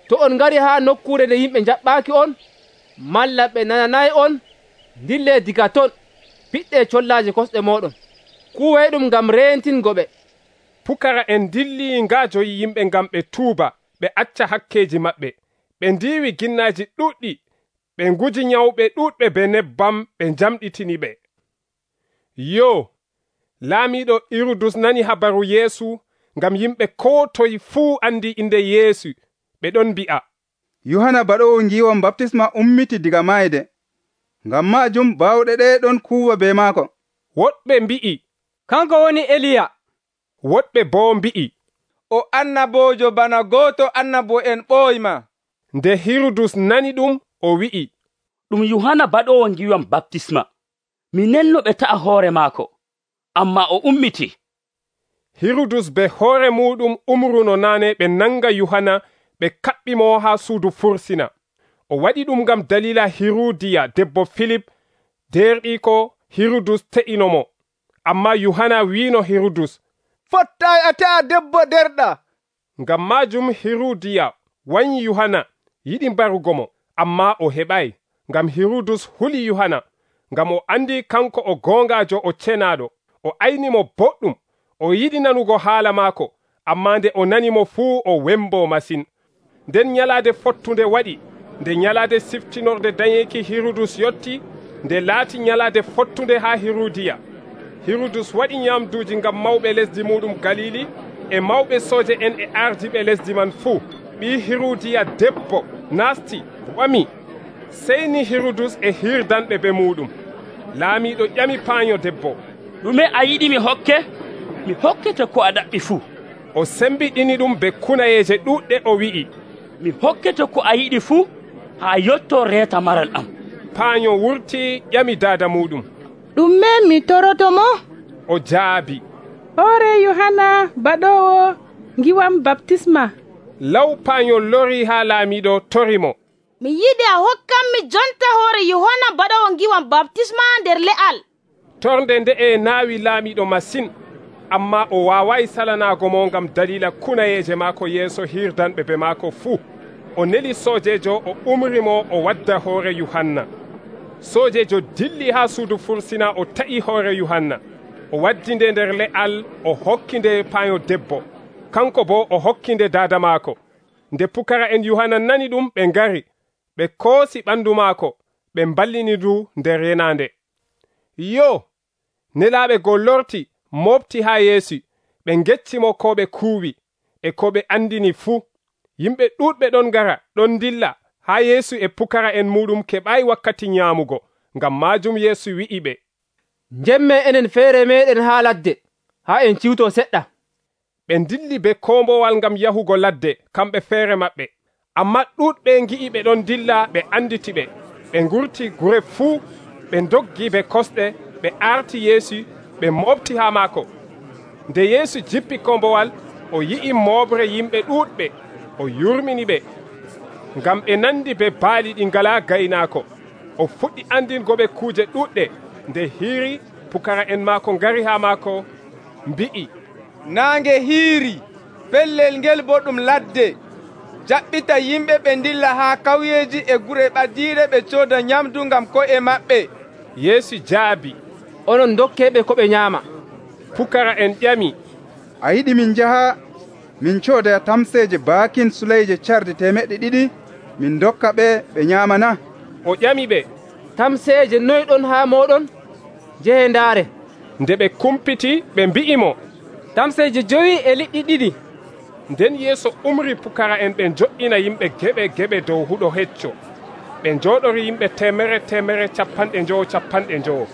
To on ngari haa nokkuure nde yimɓe njaɓɓaaki on, malla ɓe nananayi on, dillee diga ton, piɗɗee collaaje kosɗe mooɗon, kuwee ɗum ngam reentingo ɓe. Pukara'en dilli ngaajoyi yimɓe ngam ɓe tuuba, ɓe acca hakkeeji maɓɓe. Ɓe ndiiwi ginnaaji ɗuɗɗi, ɓe nguji nyawɓe ɗuɗɓe be nebbam, ɓe njamɗitini ɓe. Laamiiɗo Hirudus nani habaru Yeesu, ngam yimɓe koo toye fuu andi inde Yeesu. Ɓe ɗon mbi'a, Yohana Baɗoowo ngiiwam baptisma ummiti diga mayde. Ngam maajum baawɗe ɗe ɗon kuuwa be maako. Woɗɓe mbi'i, kanko woni Eliya. Woɗɓe boo mbi'i, o annaboojo bana gooto annabo'en ɓooyma. Nde Hirudus nani ɗum, o wi'i, ɗum Yohana Baɗoowo ngiiwam baptisma. Mi nenno ɓe ta'a hoore maako, amma o ummiti. Hirudus be hoore muɗum umruno naane ɓe nanga Yohana ɓe kaɓɓi mo haa suudu fursina. O waɗi ɗum ngam dalila Hirudiya debbo Filip, derɗiiko Hirudus te'ino mo. Amma Yohana wiino Hirudus, fottayi a ta'a debbo derɗa. Ngam maajum Hirudiya wanyi Yohana yiɗi mbarugo mo, amma o heɓayi, ngam Hirudus huli Yohana, ngam o andi kanko o goongaajo o cenaaɗo. O ayni mo boɗɗum, o yiɗi nanugo haala maako, amma nde o nani mo fuu o wembo masin. Nden nyalaade fottunde waɗi, nde nyalaade siftinorde dañeeki Hirudus yotti, nde laati nyalaade fottunde haa Hirudiya. Hirudus waɗi nyamduuji ngam mawɓe lesdi muɗum Galili e mawɓe sooje en e ardiɓe lesdi man fuu. Ɓii Hirudiya debbo naasti wami, seyni Hirudus e hirdanɓe be muɗum. Laamiiɗo ƴami paaño debbo, ɗume a yiɗi mi hokke? Mi hokkete ko a ɗaɓɓi fuu. O sembiɗini ɗum be kunayeeje ɗuɗɗe, o wi'i, mi hokkete ko a yiɗi fuu haa yotto reeta maral am. Paaño wurti ƴami daada muɗum, ɗume mi toroto mo? O jaabi, hoore Yohana Baɗoowo ngiwam baptisma. Law paaño lori haa laamiiɗo torimo, mi yiɗi a hokkanmi jonta hoore Yohana Baɗoowo ngiwam baptisma nder le'al. Torde nde'e naawi laamiiɗo masin, amma o waawayi salanaago mo ngam dalila kunayeeje maako yeeso hirdanɓe be maako fuu. O neli soojeejo, o umri mo o wadda hoore Yohanna. Soojeejo dilli haa suudu fursina, o ta'i hoore Yohanna. O waddi nde nder le'al, o hokki nde paaño debbo, kanko boo o hokki nde daada maako. Nde pukara'en Yohanna nani ɗum, ɓe ngari, ɓe koosi ɓandu maako, ɓe mballini ndu nder yenaande. Nelaaɓe goo lorti mofti haa Yeesu, ɓe ngeccimo ko ɓe kuuwi e ko ɓe andini fuu. Yimɓe ɗuuɗɓe ɗon ngara ɗon dilla haa Yeesu e pukara'en muɗum keɓayi wakkati nyaamugo. Ngam maajum Yeesu wi'i ɓe, njemme enen feere meɗen haa ladde, haa en ciwto seɗɗa. Ɓe dilli be kombowal ngam yahugo ladde, kamɓe feere maɓɓe. Amma ɗuuɗɓe ngi'i ɓe ɗon dilla, ɓe anditi ɓe. Ɓe ngurti gure fuu, ɓe doggi be kosɗe, ɓe arti Yeesu, ɓe mofti haa maako. Nde Yeesu jippi kombowal, o yi'i moobre yimɓe ɗuuɗɓe, o yurmini ɓe, ngam ɓe nandi be baali ɗi ngalaa gaynaako. O fuɗɗi andingo ɓe kuuje ɗuuɗɗe. Nde hiiri, pukara'en maako ngari haa maako, mbi'i, naange hiiri, pellel ngel bo ɗum ladde. Jaɓɓita yimɓe ɓe dilla haa kawyeeji e gure ɓadiiɗe ɓe cooda nyamdu ngam ko'e maɓɓe. Yeesu jaabi, onon dokkeeɓe ko ɓe nyaama. Pukara'en ƴami, a yiɗi min njaha min coodaya tamseeje baakin suleyje carde 200 min dokka ɓe nyaamana? O ƴami ɓe, tamseeje noy ɗon haa moɗon? Jehe ndaare. Nde ɓe kumpiti ɓe mbi'imo, tamseeje 5.2. Nden Yeesu umri pukara'en ɓe jo'ina yimɓe geɓe dow huɗo hecco. Ɓe njooɗori yimɓe 150.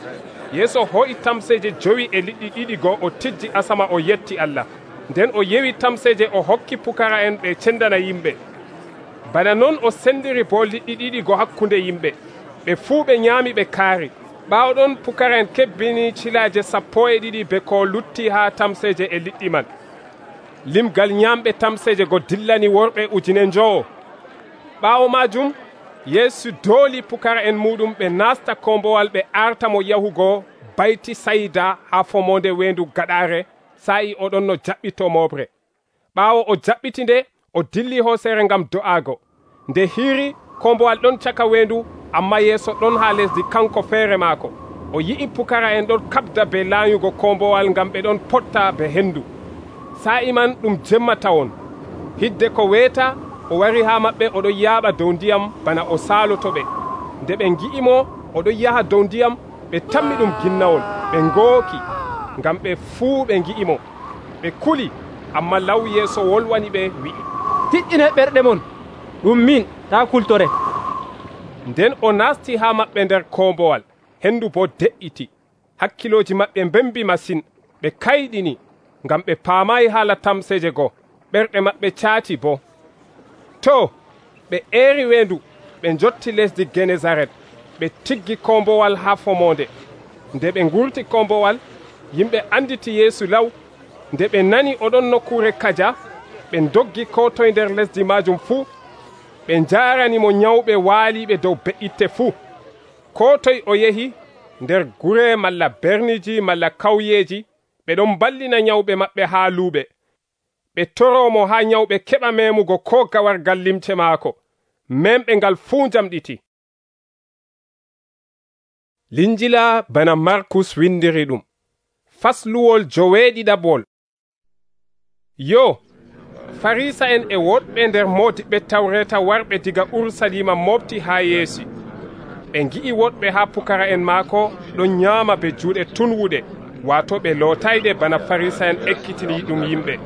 Yeesu ho'i tamseeje 5.2 go o tijji asama o yetti Allah. Nden o yewi tamseeje o hokki pukara'en ɓe cendana yimɓe. Bana non o sendiri bo liɗɗi ɗiɗi go hakkunde yimɓe. Ɓe fuu ɓe nyaami ɓe kaari. Ɓaawo ɗon pukara'en kebbini cilaaje 12 be ko lutti haa tamseeje e liɗɗi man. Limgal nyamɓe tamseeje go dillani worɓe 5,000. Ɓaawo maajum Yeesu dooli pukara'en muɗum ɓe naasta kombowal ɓe arta mo yahugo bayti Sayda haa fomonde weendu gaɗaare sa'i oɗon no jaɓɓito moɓre. Ɓaawo o jaɓɓiti nde o dilli hooseere ngam do'aago. Nde hiiri kombowal ɗon caka weendu, amma Yeesu ɗon haa lesdi kanko feere maako. O yi'i pukara'en ɗon kaɓda be laanyugo kombowal ngam ɓe ɗon potta be hendu. Sa'i man ɗum jemma tawon. Hidde ko weeta o wari haa maɓɓe oɗon yaaɓa dow ndiyam bana o saalotoɓe. Nde ɓe ngi'imo oɗon yaha dow ndiyam, ɓe tammi ɗum ginnawol, ɓe ngooki, ngam ɓe fuu ɓe ngi'imo. Ɓe kuli, amma law Yeesu wolwani ɓe wi'i, tiɗɗine ɓerɗe mon, ɗum min, taa kultore. Nden o naasti haa maɓɓe nder kombowal, hendu bo de'iti. Hakkilooji maɓɓe mbembi masin, ɓe kayɗini, ngam ɓe paamayi haala tamseeje go, ɓerɗe maɓɓe caati bo. To, ɓe eeri weendu, ɓe njotti lesdi Genesaret, ɓe tiggi kombowal haa fomonde. Nde ɓe ngurti kombowal, yimɓe anditi Yeesu law. Nde ɓe nani oɗon nokkuure kaja, ɓe doggi ko toye nder lesdi maajum fuu. Ɓe njaaranimo nyawɓe waaliɓe dow be'itte fuu. Ko toye o yehi, nder gure malla berniji malla kawyeji, ɓe ɗon ballina nyawɓe maɓɓe haa luuɓe. Ɓe toromo haa nyawɓe keɓa memugo ko gawargal limce maako. Memɓe ngal fuu jamɗiti. Linjila bana Markus windiri ɗum. Fasluwol 7. Yo, Farisa'en e woɗɓe nder moodiɓɓe Tawreta warɓe diga Urusalima mofti haa Yeesu. Ɓe ngi'i woɗɓe haa pukara'en maako ɗon nyaama be juuɗe tunwuɗe, waato ɓe lootayde bana Farisa'en ekkitini ɗum yimɓe.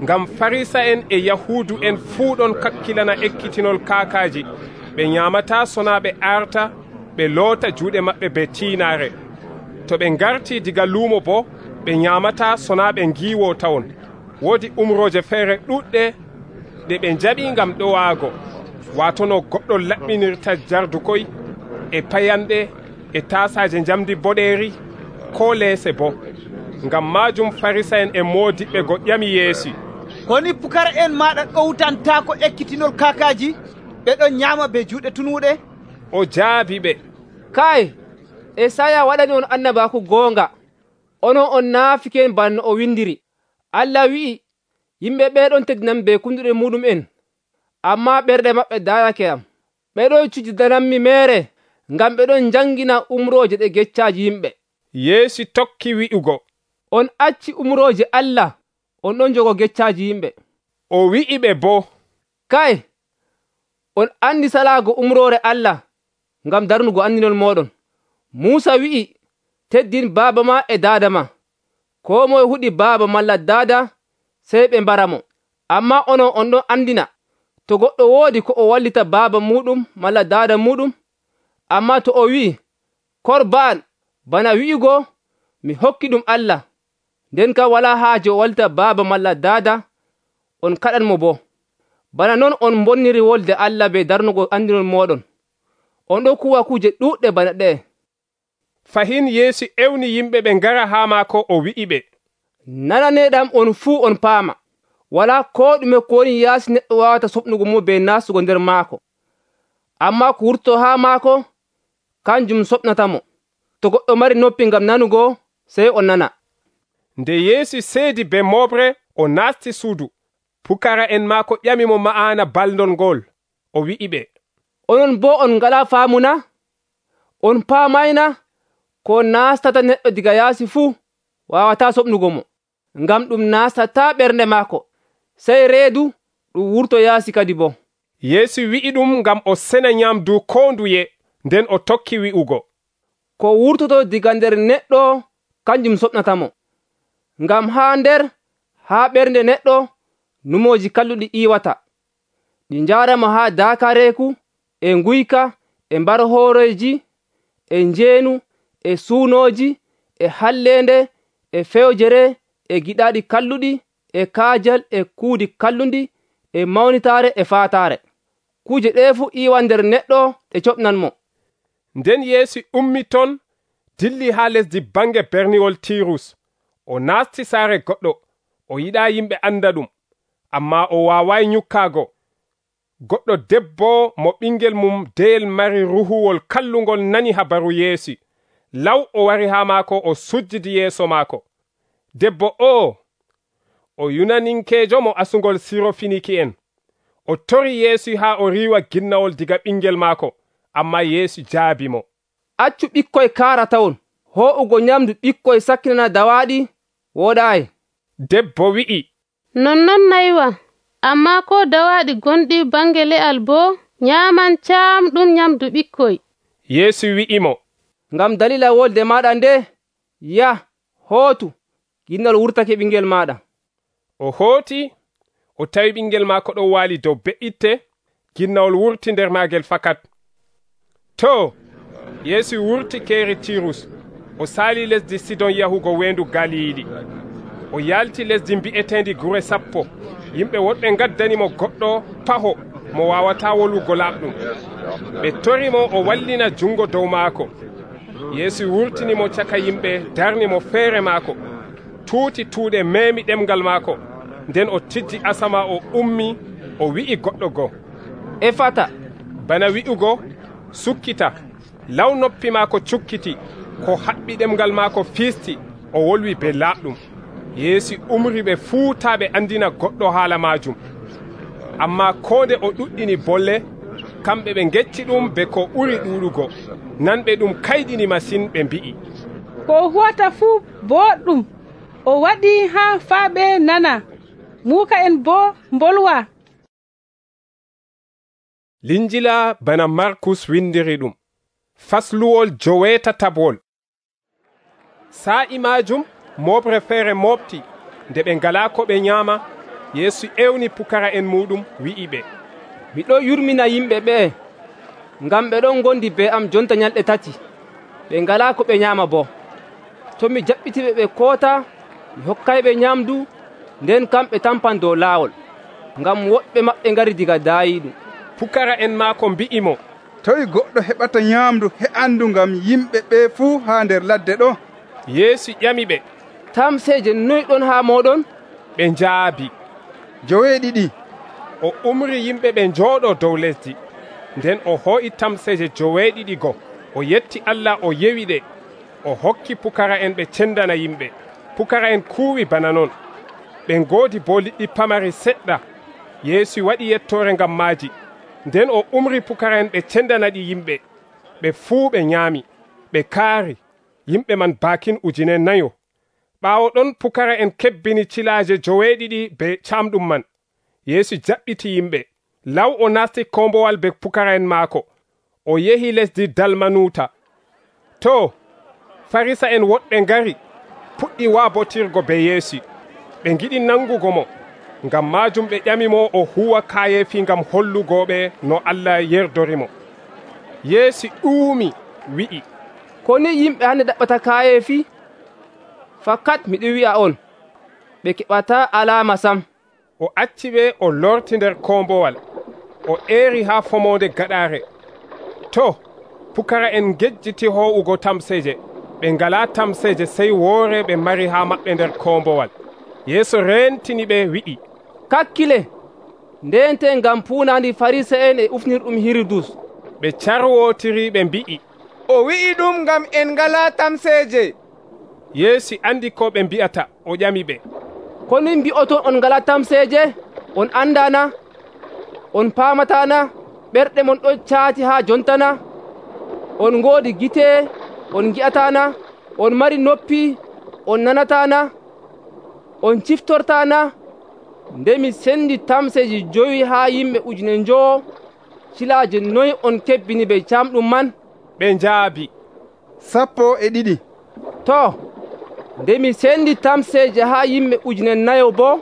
Ngam Farisa'en e Yahuudu'en fuu ɗon kakkilana ekkitinol kaakaaji. Ɓe nyaamataa sonaa ɓe arta ɓe loota juuɗe maɓɓe be tiinaare. To ɓe ngartii diga luumo bo, ɓe nyaamataa sonaa ɓe ngiiwoo tawon. Woodi umrooje feere ɗuɗɗe ɗe ɓe njaɓii ngam ɗowaago, waato no goɗɗo laɓɓinirta jardukoy e payanɗe e taasaaje njamdi boɗeeri ko leese bo. Ngam maajum Farisa'en e moodiɓɓe go ƴami Yeesu, koni pukara'en maɗa ɗowtantaako ekkitinol kaakaaji ɓe ɗon nyaama be juuɗe tunwuɗe? O jaabi ɓe, kay Esaya waɗani on annabaaku goonga, onon on naafiken banno o windiri. Allah wi'i, yimɓe ɓeeɗon teddinam be kunduɗe muɗum'en, amma ɓerɗe maɓɓe daarake am. Ɓeɗon cujjidanammi meere, ngam ɓeɗon jangina umrooje ɗe geccaaji yimɓe. Yeesu tokki wi'ugo, on acci umrooje Allah, on ɗon jogo geccaaji yimɓe. O wi'i ɓe bo, kay on andi salaago umroore Allah, ngam darnugo andinol moɗon. Muusa wi'i, teddin baaba ma e daada ma. Ko moye huɗi baaba malla daada sey ɓe mbaramo. Amma onon on ɗon andina, to goɗɗo woodi ko o wallita baaba muɗum malla daada muɗum, amma to o wi'i, Korban, bana wi'igo, mi hokki ɗum Allah, nden kam walaa haaje o wallita baaba malla daada, on kaɗanmo bo. Bana non on bonniri wolde Allah be darnugo andinol moɗon. On ɗon kuwa kuje ɗuɗɗe bana ɗe. Fahin Yeesu ewni yimɓe ɓe ngara haa maako o wi'i ɓe, nananeɗam on fuu on paama, walaa ko ɗume ko woni yaasi neɗɗo wawata soɓnugo mo be nastugo nder maako. Amma ko wurto haa maako, kanjum soɓnatamo. To goɗɗo mari noppi ngam nanugo, sey o nana. Nde Yeesu seedi be moɓre, o naasti suudu. Pukara'en maako ƴamimo ma'ana baldol ngol. O wi'i ɓe, onon bo on ngalaa faamu na? On paamayna ko nastata neɗɗo diga yaasi fuu, waawataa soɓnugo mo, ngam ɗum nastataa ɓernde maako, sey reedu ɗum wurto yaasi kadi boo. Yeesu wi'i ɗum ngam o sena nyamdu koo nduye, nden o tokki wi'ugo, ko wurtoto diga nder neɗɗo kanjum soɓnatamo. Ngam haa ɓernde neɗɗo numooji kalluɗi iwata, ɗi njaaramo haa daakareeku, e nguyka, e mbarhooreeji, e njeenu, e suunooji, e halleende, e fewjere, e giɗaaɗi kalluɗi, e kaajal, e kuudi kallundi, e mawnitaare, e faataare. Kuje ɗee fuu iwan nder neɗɗo ɗe coɓnanmo. Nden Yeesu ummi ton, dilli haa lesdi bange berniwol Tirus. O naasti saare goɗɗo, o yiɗaa yimɓe anda ɗum, ammaa o waawaay nyukkaago. Goɗɗo debbo mo ɓingel mum deyel mari ruhuwol kallungol nani habaru Yeesu. Law o wari haa maako, o sujjidi yeeso maako. Debbo o yunaninkeejo mo asugol Sirofiniki'en. O tori Yeesu haa o riiwa ginnawol diga ɓingel maako, ammaa Yeesu jaabi mo. Accu ɓikkoy kaaratawon, hoo'ugo nyamdu ɓikkoy sakkinana dawaaɗi wooɗaayi. Debbo wi'i, nonnon naywa, ammaa ko dawaaɗi gonɗi bange le'al boo nyaaman caamɗum nyamdu ɓikkoy. Yeesu wi'i mo, ngam dalila wolde maaɗa nde, yah, hootu, ginnawol wurtake ɓingel maaɗa. O hooti, o tawi ɓingel maako ɗon waali dow be'itte, ginnawol wurti nder maagel fakat. To, Yeesu wurti keeri Tirus, o saali lesdi Sidon yahugo weendu Galiili. O yaalti lesdi mbi'eteendi Gure Sappo. Yimɓe woɗɓe ngaddanimo goɗɗo paho mo waawataa wolugo laaɓɗum. Ɓe torimo o wallina jungo dow maako. Yeesu wurtinimo caka yimɓe, darnimo feere maako, tuuti tuuɗe meemi ɗemgal maako. Nden o tijji asama, o ummi, o wi'i goɗɗo go, efata, bana wi'ugo, sukkita. Law noppi maako cukkiti, ko haɓɓi ɗemgal maako fiisti, o wolwi be laaɓɗum. Yeesu umri ɓe fuu taa ɓe andina goɗɗo haala maajum. Ammaa koode o ɗuɗɗini bolle, kamɓe ɓe ngecci ɗum be ko ɓuri ɗuuɗugo. Nanɓe ɗum kayɗini masin, ɓe mbi'i, ko huwata fuu boɗɗum, o waɗi haa faaɓe nana, muuka en boo mbolwa. Linjila bana Markus windiri ɗum. Fasluwol 9. Sa'i maajum moɓre feere moɓti, nde ɓe ngalaa ko ɓe nyaama. Yeesu ewni pukara en muɗum, wi'i ɓe, miɗo yurmina yimɓe ɓee, ngam ɓe ɗon ngondi be am jonta nyalɗe 3, ɓe ngalaa ko ɓe nyaama boo. To mi jaɓɓitiɓe ɓe koota, mi hokkayɓe nyamdu, nden kamɓe tampan dow laawol, ngam woɗɓe maɓɓe ngari diga daayiiɗum. Pukara en maako mbi'imo, toy goɗɗo heɓata nyamdu he'andu ngam yimɓe ɓe fuu haa nder ladde ɗo? Yeesu ƴami ɓe, tamseeje noy ɗon haa mooɗon? Ɓe njaabi, 2. O umri yimɓe ɓe njooɗo dow lesdi. Nden o hoo'i tamseeje 2 go, o yetti Allah, o yewi ɗe, o hokki pukara en ɓe cendana yimɓe. Pukara en kuuwi bana non. Ɓe ngoodi bo liɗɗi pamari seɗɗa. Yeesu waɗi yettoore ngam maaji. Nden o umri pukara en ɓe cendana ɗi yimɓe. Ɓe fuu ɓe nyaami, ɓe kaari, yimɓe man baakin 4,000. Ɓaawo ɗon pukara en kebbini cilaaje 2 be caamɗum man. Yeesu jaɓɓiti yimɓe. Law o naasti kombowal be pukara en maako. O yehi lesdi Dalmanuta. To, Farisa en woɗɓe ngari, puɗɗi waabotirgo be Yeesu. Ɓe ngiɗi nangugo mo. Ngam maajum ɓe ƴamimo o huwa kaayeefi ngam hollugoɓe no Allah yerdorimo. Yeesu ɗuumi, wi'i, ko ni yimɓe hande ɗaɓɓata kaayeefi? Fakat miɗo wi'a on, ɓe keɓata alaama sam. O acci ɓe, o lorti nder kombowal, o eeri haa fomonde gaɗaare. To, pukara en gejjiti ho'ugo tamseeje. Ɓe ngalaa tamseeje sey woore ɓe mari haa maɓɓe nder kombowal. Yeesu reentini ɓe, wi'i, kakkile, ndente ngam puunandi Farisa'en e ufnirɗum Hiridus. Ɓe carwotiri, ɓe mbi'i, o wi'i ɗum ngam en ngalaa tamseeje. Yeesu andi ko ɓe mbi'ata, o ƴami ɓe, ko ni mbi'oton on ngalaa tamseeje? On andana? On paamatana? Ɓerɗe mon ɗon caati haa jontana? On ngoodi gite, on ngi'atana? On mari noppi, on nanataa na? On ciftortaa na? Nde mi sendi tamseeje 5 haa yimɓe 5,000, cilaaje noy on kebbini ɓe camɗum man? Ɓe njaabi, 12. To, nde mi sendi tamseeje haa yimɓe 4,000 bo,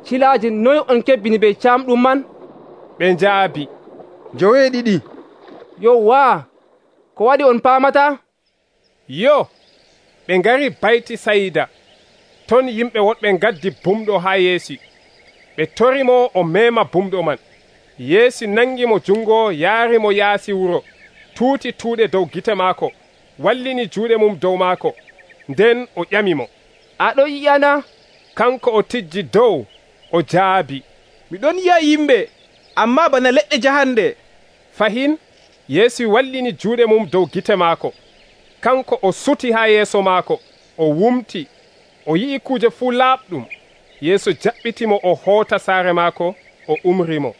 cilaaje noy on kebbini ɓe camɗum man? Ɓe njaabi, 2. Yowaa, ko waɗi on paamataa? Yo, ɓe ngari bayti Sayda. Ton yimɓe woɗɓe ngaddi bumɗo haa Yeesu. Ɓe torimo o mema bumɗo man. Yeesu nangimo jungo yaarimo yaasi wuro, tuuti tuuɗe dow gite maako, wallini juuɗe mum dow maako. Nden o ƴamimo, aɗo yi'ana? Kanko o tijji dow, o jaabi, miɗon yi'a yimɓe, amma bana leɗɗe jahande. Fahin, Yeesu wallini juuɗe mum dow gite maako. Kanko o suti haa yeeso maako, o wumti, o yi'i kuje fuu laaɓɗum. Yeesu jaɓɓitimo o hoota saare maako, o umrimo.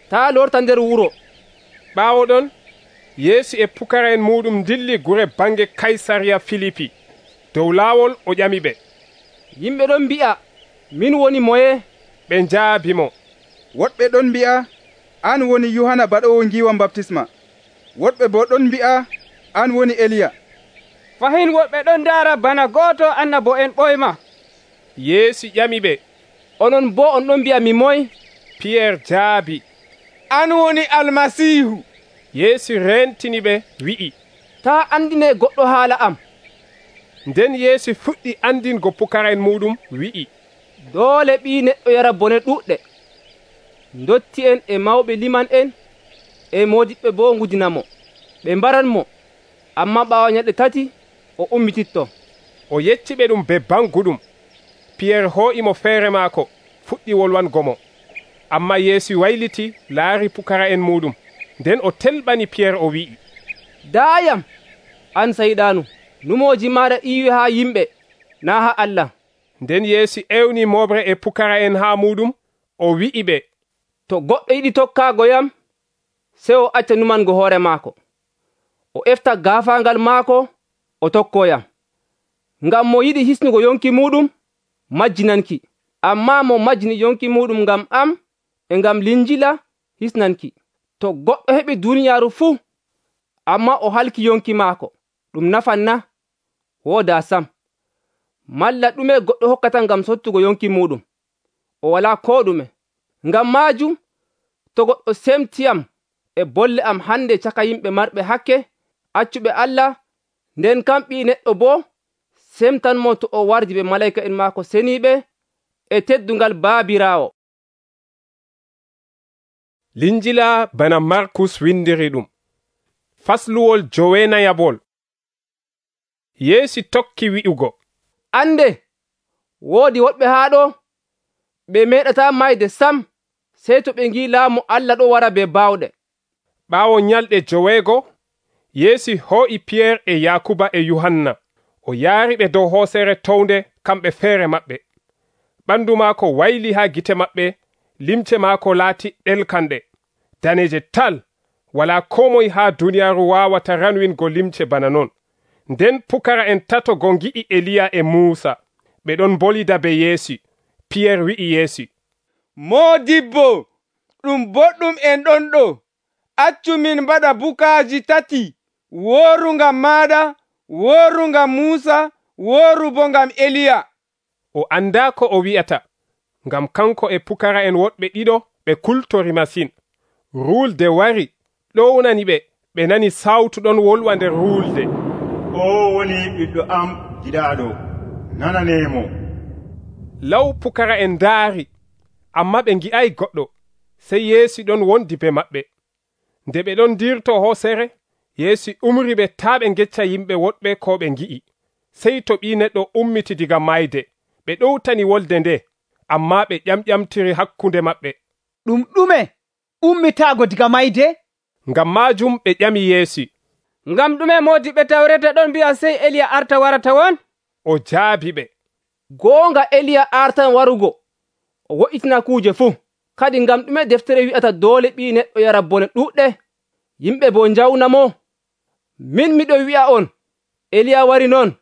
Taa lorta nder wuro. Ɓaawo ɗon, Yeesu e pukara'en muɗum dilli gure bange Kaysariya Filipi. Dow laawol o ƴamiɓe, yimɓe ɗon mbi'a, min woni moye? Ɓe njaabimo, woɗɓe ɗon mbi'a, an woni Yohana baɗowo ngiwam baptisma. Woɗɓe bo ɗon mbi'a, an woni Eliya. Fahin woɓɓe ɗon ndaara bana gooto annabo'en ɓoyma. Yeesu ƴamiɓe, onon bo on ɗon mbi'a mi moy? Piyerre jaabi, an woni Almasiihu. Yeesu rentiniɓe wi'i, taa andine goɗɗo haala am. Nden Yeesu fuɗɗi andingo pukara'en muɗum wi'i, doole ɓii neɗɗo yara bone ɗuɗɗe. Dotti en e mawɓe liman en e moodiɓɓe bo ngudinamo. Ɓe mbaranmo, amma ɓaawo ñalɗe 3 o ummititto. O yecciɓe ɗum be banguɗum. Piyerre hoo'imo feere maako, fuɗɗi wolwangomo. Amma Yeesu wayliti laari pukara'en muɗum. Nden o telɓani Piyerre o wi'i, daayam, an sayɗaanu, numooji maaɗa iiwi haa yimɓe, naa haa Allah. Nden Yeesu ewni moɓre e pukara'en haa muɗum, o wi'i ɓe, to goɗɗo yiɗi tokkaago yam, sey o acca numango hoore maako. O efta gaafaangal maako, o tokkoyam. Ngam mo yiɗi hisnugo yonki muɗum, majjinanki. Amma mo majjini yonki muɗum ngam am e ngam Linjila, hisnanki. To goɗɗo heɓi duniyaaru fuu, amma o halki yonki maako, ɗum nafan na? Wooda sam. Malla ɗume goɗɗo hokkata ngam sottugo yonki muɗum? O walaa koo ɗume. Ngam maajum, to goɗɗo semtiyam e bolle am hande caka yimɓe marɓe hakke, accuɓe Allah, nden kam Ɓii Neɗɗo boo semtanmo to o wardi ɓe malaika'en maako seniiɓe e teddungal Baabiraawo. Linjila bana Markus windiri ɗum. Fasluwol 9. Yeesu tokki wi'ugo, ande, woodi woɗɓe haa ɗo, ɓe meeɗataa mayde sam, sey to ɓe ngi laamu Allah ɗo wara be baawɗe. Ɓaawo nyalɗe 5, Yeesu hoo'i Piyerre e Yakuba e Yohanna. O yaariɓe dow hoosere townde kamɓe feere maɓɓe. Ɓandu maako wayli haa gite maɓɓe, limce maako laati ɗelkanɗe, daneje tal, walaa koo moye haa duniyaaru waawata ranwingo limce bana non. Nden pukara'en 3 go ngi'i Eliya e Muusa, ɓe ɗon bolida be Yeesu. Piyerre wi'i Yeesu, Moodibbo, ɗum boɗɗum en ɗon ɗo. Accu min mbaɗa bukaaji 3, wooru ngam maaɗa, wooru ngam Muusa, wooru bo ngam Eliya. O anda ko o wi'ata, ngam kanko e pukara'en woɗɓe 2 ɓe kultori masin. Ruulde wari, ɗownani ɓe nani sawtu ɗon wolwa nder ruulde, o woni ɓiɗɗo am giɗaaɗo, nananemo. Law pukara'en ndaari, amma ɓe ngi'ay goɗɗo. Sey Yeesu ɗon wondi be maɓɓe. Nde ɓe ɗon dirto hoosere, Yeesu umri ɓe taa ɓe ngecca yimɓe woɗɓe ko ɓe ngi'i. Sey to Ɓii Neɗɗo ummiti diga mayde, ɓe ɗowtani wolde nde, amma ɓe ƴamƴamtiri hakkunde maɓɓe. Ɗum ɗume ummitaago diga mayde? Ngam maajum ɓe ƴami Yeesu, ngam ɗume moodiɓɓe tawreta ɗon mbi'a sey Eliya arta warata won? O jaabi ɓe, goonga Eliya artan warugo, o wo'itina kuuje fuu. Kadi ngam ɗume deftere wi'ata doole Ɓii Neɗɗo yara bone ɗuɗɗe, yimɓe bo njawna mo? Min miɗo wi'a on, Eliya wari non,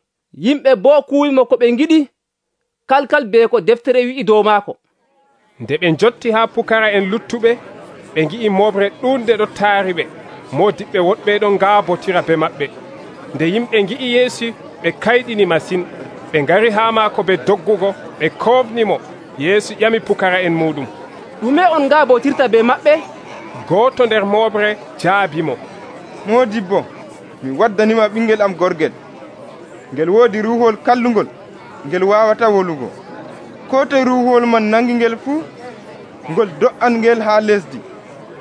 Yimɓe boo kuwimo ko ɓe ngiɗi kalkal be ko deftere wi'i dow maako. Nde ɓe jotti haa pukara'en luttuɓe, ɓe ngi'i moɓre ɗuuɗde ɗo taari ɓe, moodiɓɓe woɗɓe ɗon ngaabotira be maɓɓe. Nde yimɓe ngi'i Yeesu, ɓe kayɗini masin. Ɓe ngari haa maako be doggugo, ɓe koofnimo. Yeesu ƴami pukara'en muɗum, ɗume on ngaabotirta be maɓɓe? gooto nder moɓre jaabimo, Moodibbo, mi waddanima ɓingel am gorgel. Ngel woodi ruuhol kallungol, ngel waawata wolugo. Ko toye ruuhol man nangi ngel fuu, ngol do'an ngel haa lesdi.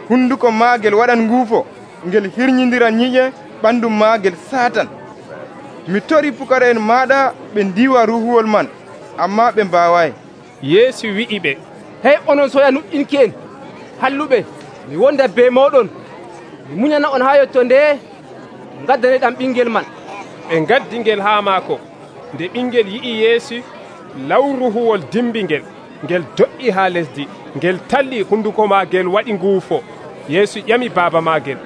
Hunduko maagel waɗan nguufo, ngel hirnyindira nyiƴe ɓandu maagel Saatan. Mi tori pukara'en maaɗa ɓe ndiiwa ruuhol man, ammaa ɓe mbaawayi. Yeesu wi'i ɓe, hey onon soya nuɗɗinki en halluɓe, mi wonda be moɗon, mi muñana on haa yotto nde gaddaneɗam ɓingel man. Ɓe ngaddi ngel haa maako. Nde ɓingel yi'i Yeesu, lawruhuwol dimbi ngel do'i haa lesdi, ngel talli hunduko maagel waɗi nguufo. Yeesu ƴami baaba maagel,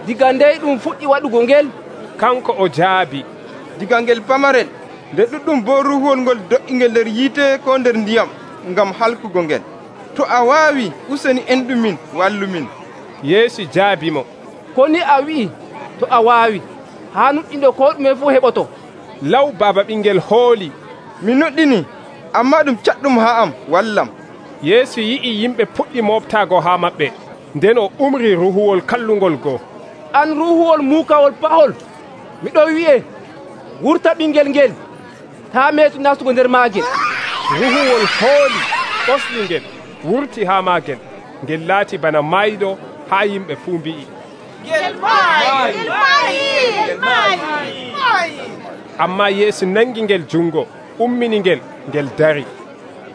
diga ndey ɗum fuɗɗi waɗugo ngel? Kanko o jaabi, diga ngel pamarel, nde ɗuɗɗum bo ruuhol ngol do'i ngel nder yiite ko nder ndiyam ngam halkugo ngel. To a waawi, useni enɗumin wallumin. Yeesu jaabimo, ko ni a wi'i to a waawi, haa nuɗɗinɗo ko ɗume fuu heɓoto. Law baaba ɓingel hooli, mi nuɗɗini, ammaa ɗum caɗɗum haa am, wallam. Yeesu yi'i yimɓe puɗɗi moɓtaago haa maɓɓe, nden o umri ruuhuwol kallungol goo. An ruuhuwol muukawol pahol, miɗo wi'e, wurta ɓingel ngel, taa meetu nastugo nder maagel. Ruuhuwol hooli ɓosli ngel, wurti haa maagel, ngel laati bana mayɗo haa yimɓe fuu mbi'i, ammaa Yeesu nangi ngel jungo, ummini ngel dari.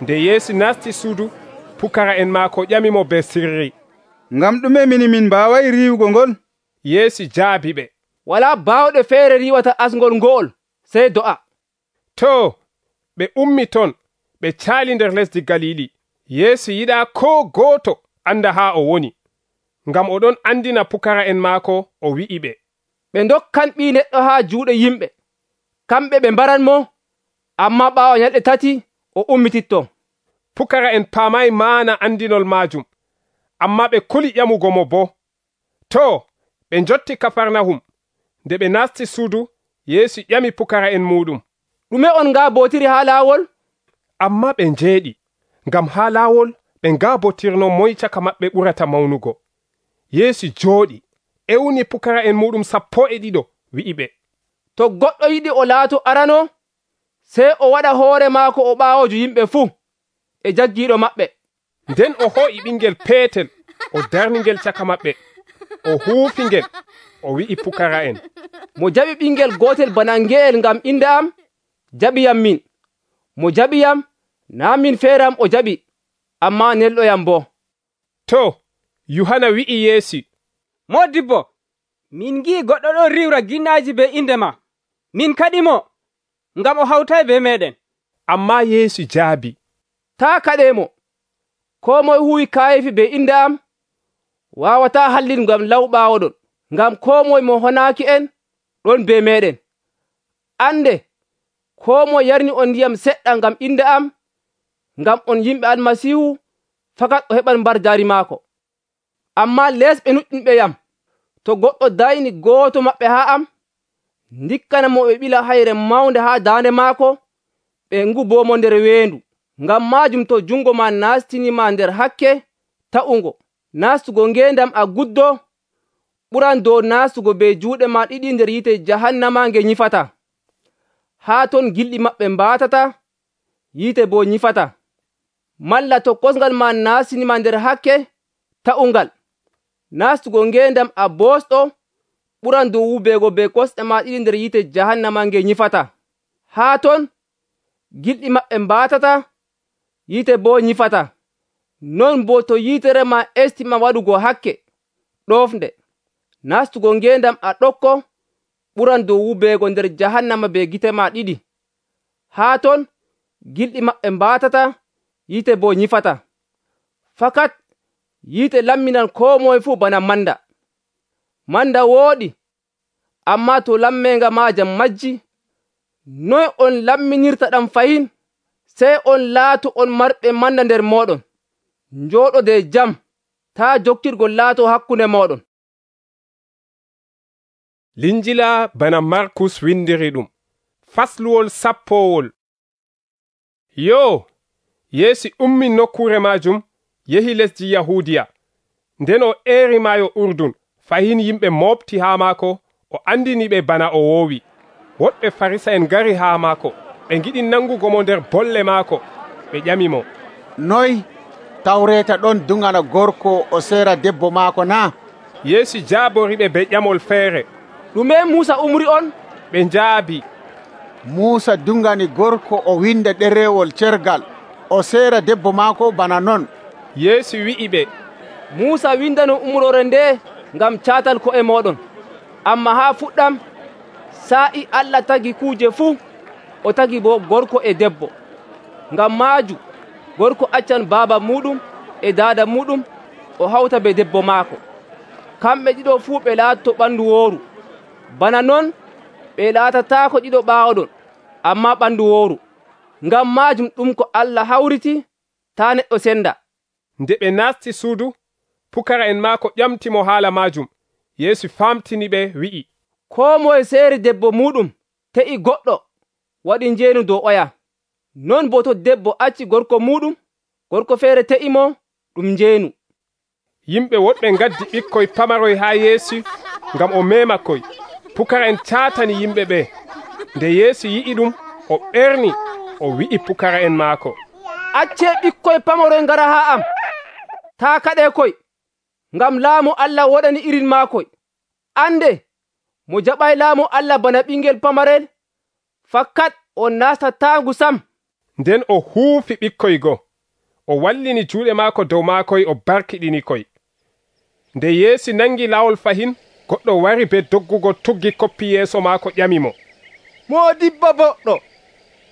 Nde Yeesu nasti suudu, pukara'en maako ƴamimo be sirri, ngam ɗume min mbaawayi riiwugo ngol? Yeesu jaabi ɓe, walaa baawɗo feere riiwata asngol ngo'ol sey do'a. To ɓe ummi ton, ɓe caali nder lesdi Galili. Yeesu yiɗaa koo gooto anda haa o woni, ngam oɗon andina pukara'en maako, o wi'i ɓe, ɓe ndokkan Ɓii Neɗɗo haa juuɗe yimɓe, kamɓe ɓe mbaranmo, ammaa ɓaawo ñalɗe tati o ummititto. Pukara'en paamayi maana andinol maajum, ammaa ɓe kuli ƴamugo mo boo. To ɓe njotti Kafarnahum. Nde ɓe nasti suudu, Yeesu ƴami pukara'en muɗum, ɗume on ngaabootiri haa laawol? Ammaa ɓe njeeɗi, ngam haa laawol ɓe ngaabotirno moy caka maɓɓe ɓurata mawnugo. Yeesu jooɗi, ewni pukara'en muɗum 12, wi'i ɓe, to goɗɗo yiɗi o laato arano, sey o waɗa hoore maako o ɓaawojo yimɓe fuu e jaggiiɗo maɓɓe. Nden o ho'i ɓingel peetel, o darni ngel caka maɓɓe, o huufi ngel, o wi'i pukara'en, mo jaɓi ɓingel gootel bana ngeyel ngam inde am, jaɓiyam min. Mo jaɓiyam, naa min feeram o jaɓi, ammaa nelɗoyam boo. To Yuhana wi'i Yeesu, Moodibbo, min ngi'i goɗɗo ɗon riwra ginnaaji be inde ma. Min kaɗimo, ngam o hawtay be meɗen. Ammaa Yeesu jaabi, taa kaɗemo. Koo moye huwi kaayefi be inde am, waawataa hallin ngam law ɓaawoɗon, ngam koo moye mo honaaki en ɗon be meɗen. Ande, koo moye yarni on ndiyam seɗɗa ngam inde am, ngam on yimɓe Almasiihu, fakat o heɓan mbarjaari maako. Ammaa leesɓe nuɗɗinɓe yam, to goɗɗo dayni gooto maɓɓe haa am, ndikkana mo ɓe ɓila hayre mawnde haa daande maako, ɓe ngubomo nder weendu. Ngam maajum to jungo ma nastinima nder hakke ta'ungo, nastugo ngendam a guddo ɓuran dow nastugo be juuɗe ma ɗiɗi nder yite jahannama nge nyifata. Haa ton gilɗi maɓɓe mbaatata, yite bo nyifata. Malla to kosngal ma nastinima nder hakke ta'ungal, nastugo ngendam a bosɗo ɓuran dow wubego be kosɗe ma ɗiɗi nder yite jahannama nge nyifata. Haa ton gilɗi maɓɓe mbaatata, yite bo nyifata. Non bo to yitere ma estima waɗugo hakke ɗofnde, nastugo ngendam a ɗokko ɓuran dow wubego nder jahannama be gite ma ɗiɗi. Haa ton gilɗi maɓɓe mbaatata, yite bo nyifata. Fakat yite lamminan koo moye fuu bana manda. Manda wooɗi, ammaa to lammenga maajam majji, noy on lamminirta ɗam fayin, sey on laatu on marɓe manda nder mooɗon. Njooɗode jam, taa jokkirgol laato hakkunde mooɗon. Linjila bana Markus windiri ɗum. Fasluwol sappowol. Yo, Yeesu ummi nokkure majum, yehi lesdi Yahudiya. Nden o eeri maayo Urdun, fahin yimɓe mofti haa maako, o andini ɓe bana o woowi. Woɗɓe Farisa'en ngari haa maako, ɓe ngiɗi nangugo mo nder bolle maako. Ɓe ƴamimo, noy tawreta ɗon dungana gorko o seera debbo maako na? Yeesu jaaboriɓe be ƴamol feere. Ɗume Muusa umri on? Ɓe njaabi, Muusa dungani gorko o winda ɗerewol cergal o seera debbo maako bana non. Yeesu wi'i ɓe, Muusa windano umrore nde ngam caatal ko'e mooɗon. Amma haa fuɗɗam, saa'i Allah tagi kuuje fuu, o tagi bo gorko e debbo. Ngam maaju, gorko accan baaba muɗum e daada muɗum, o hawta be debbo maako. Kamɓe ɗiɗo fuu ɓe laatoto ɓandu wooru. Bana non, ɓe laatataako ɗiɗo ɓaawoɗon, amma ɓandu wooru. Ngam maajum ɗum ko Allah hawriti, taa neɗɗo senda. Nde ɓe naasti suudu, pukara'en maako ƴamtimo haala maajum. Yeesu famtini ɓe wi'i, koo moye seeri debbo muɗum te'i goɗɗo waɗi njeenu dow oya. Non bo to debbo acci gorko muɗum, gorko feere te'imo, ɗum njeenu. Yimɓe woɗɓe ngaddi ɓikkoy pamaroy haa Yeesu ngam o memakoy. Pukara'en caatani yimɓe ɓe. Nde Yeesu yi'i ɗum, o ɓerni, o wi'i pukara'en maako, accee ɓikkoy pamaroy ngara haa am, taa kaɗee koy, ngam laamu Allah woɗani irin maakoy. Ande, mo jaɓay laamu Allah bana ɓingel pamarel, fakkat on nastatangu sam. Nden o huufi ɓikkoy go, o wallini juuɗe maako dow maakoy, o barkiɗini koy. Nde Yeesu nangi laawol fahin, goɗɗo wari be doggugo tuggi koppi yeeso maako ƴamimo, Moodibbo boɗɗo,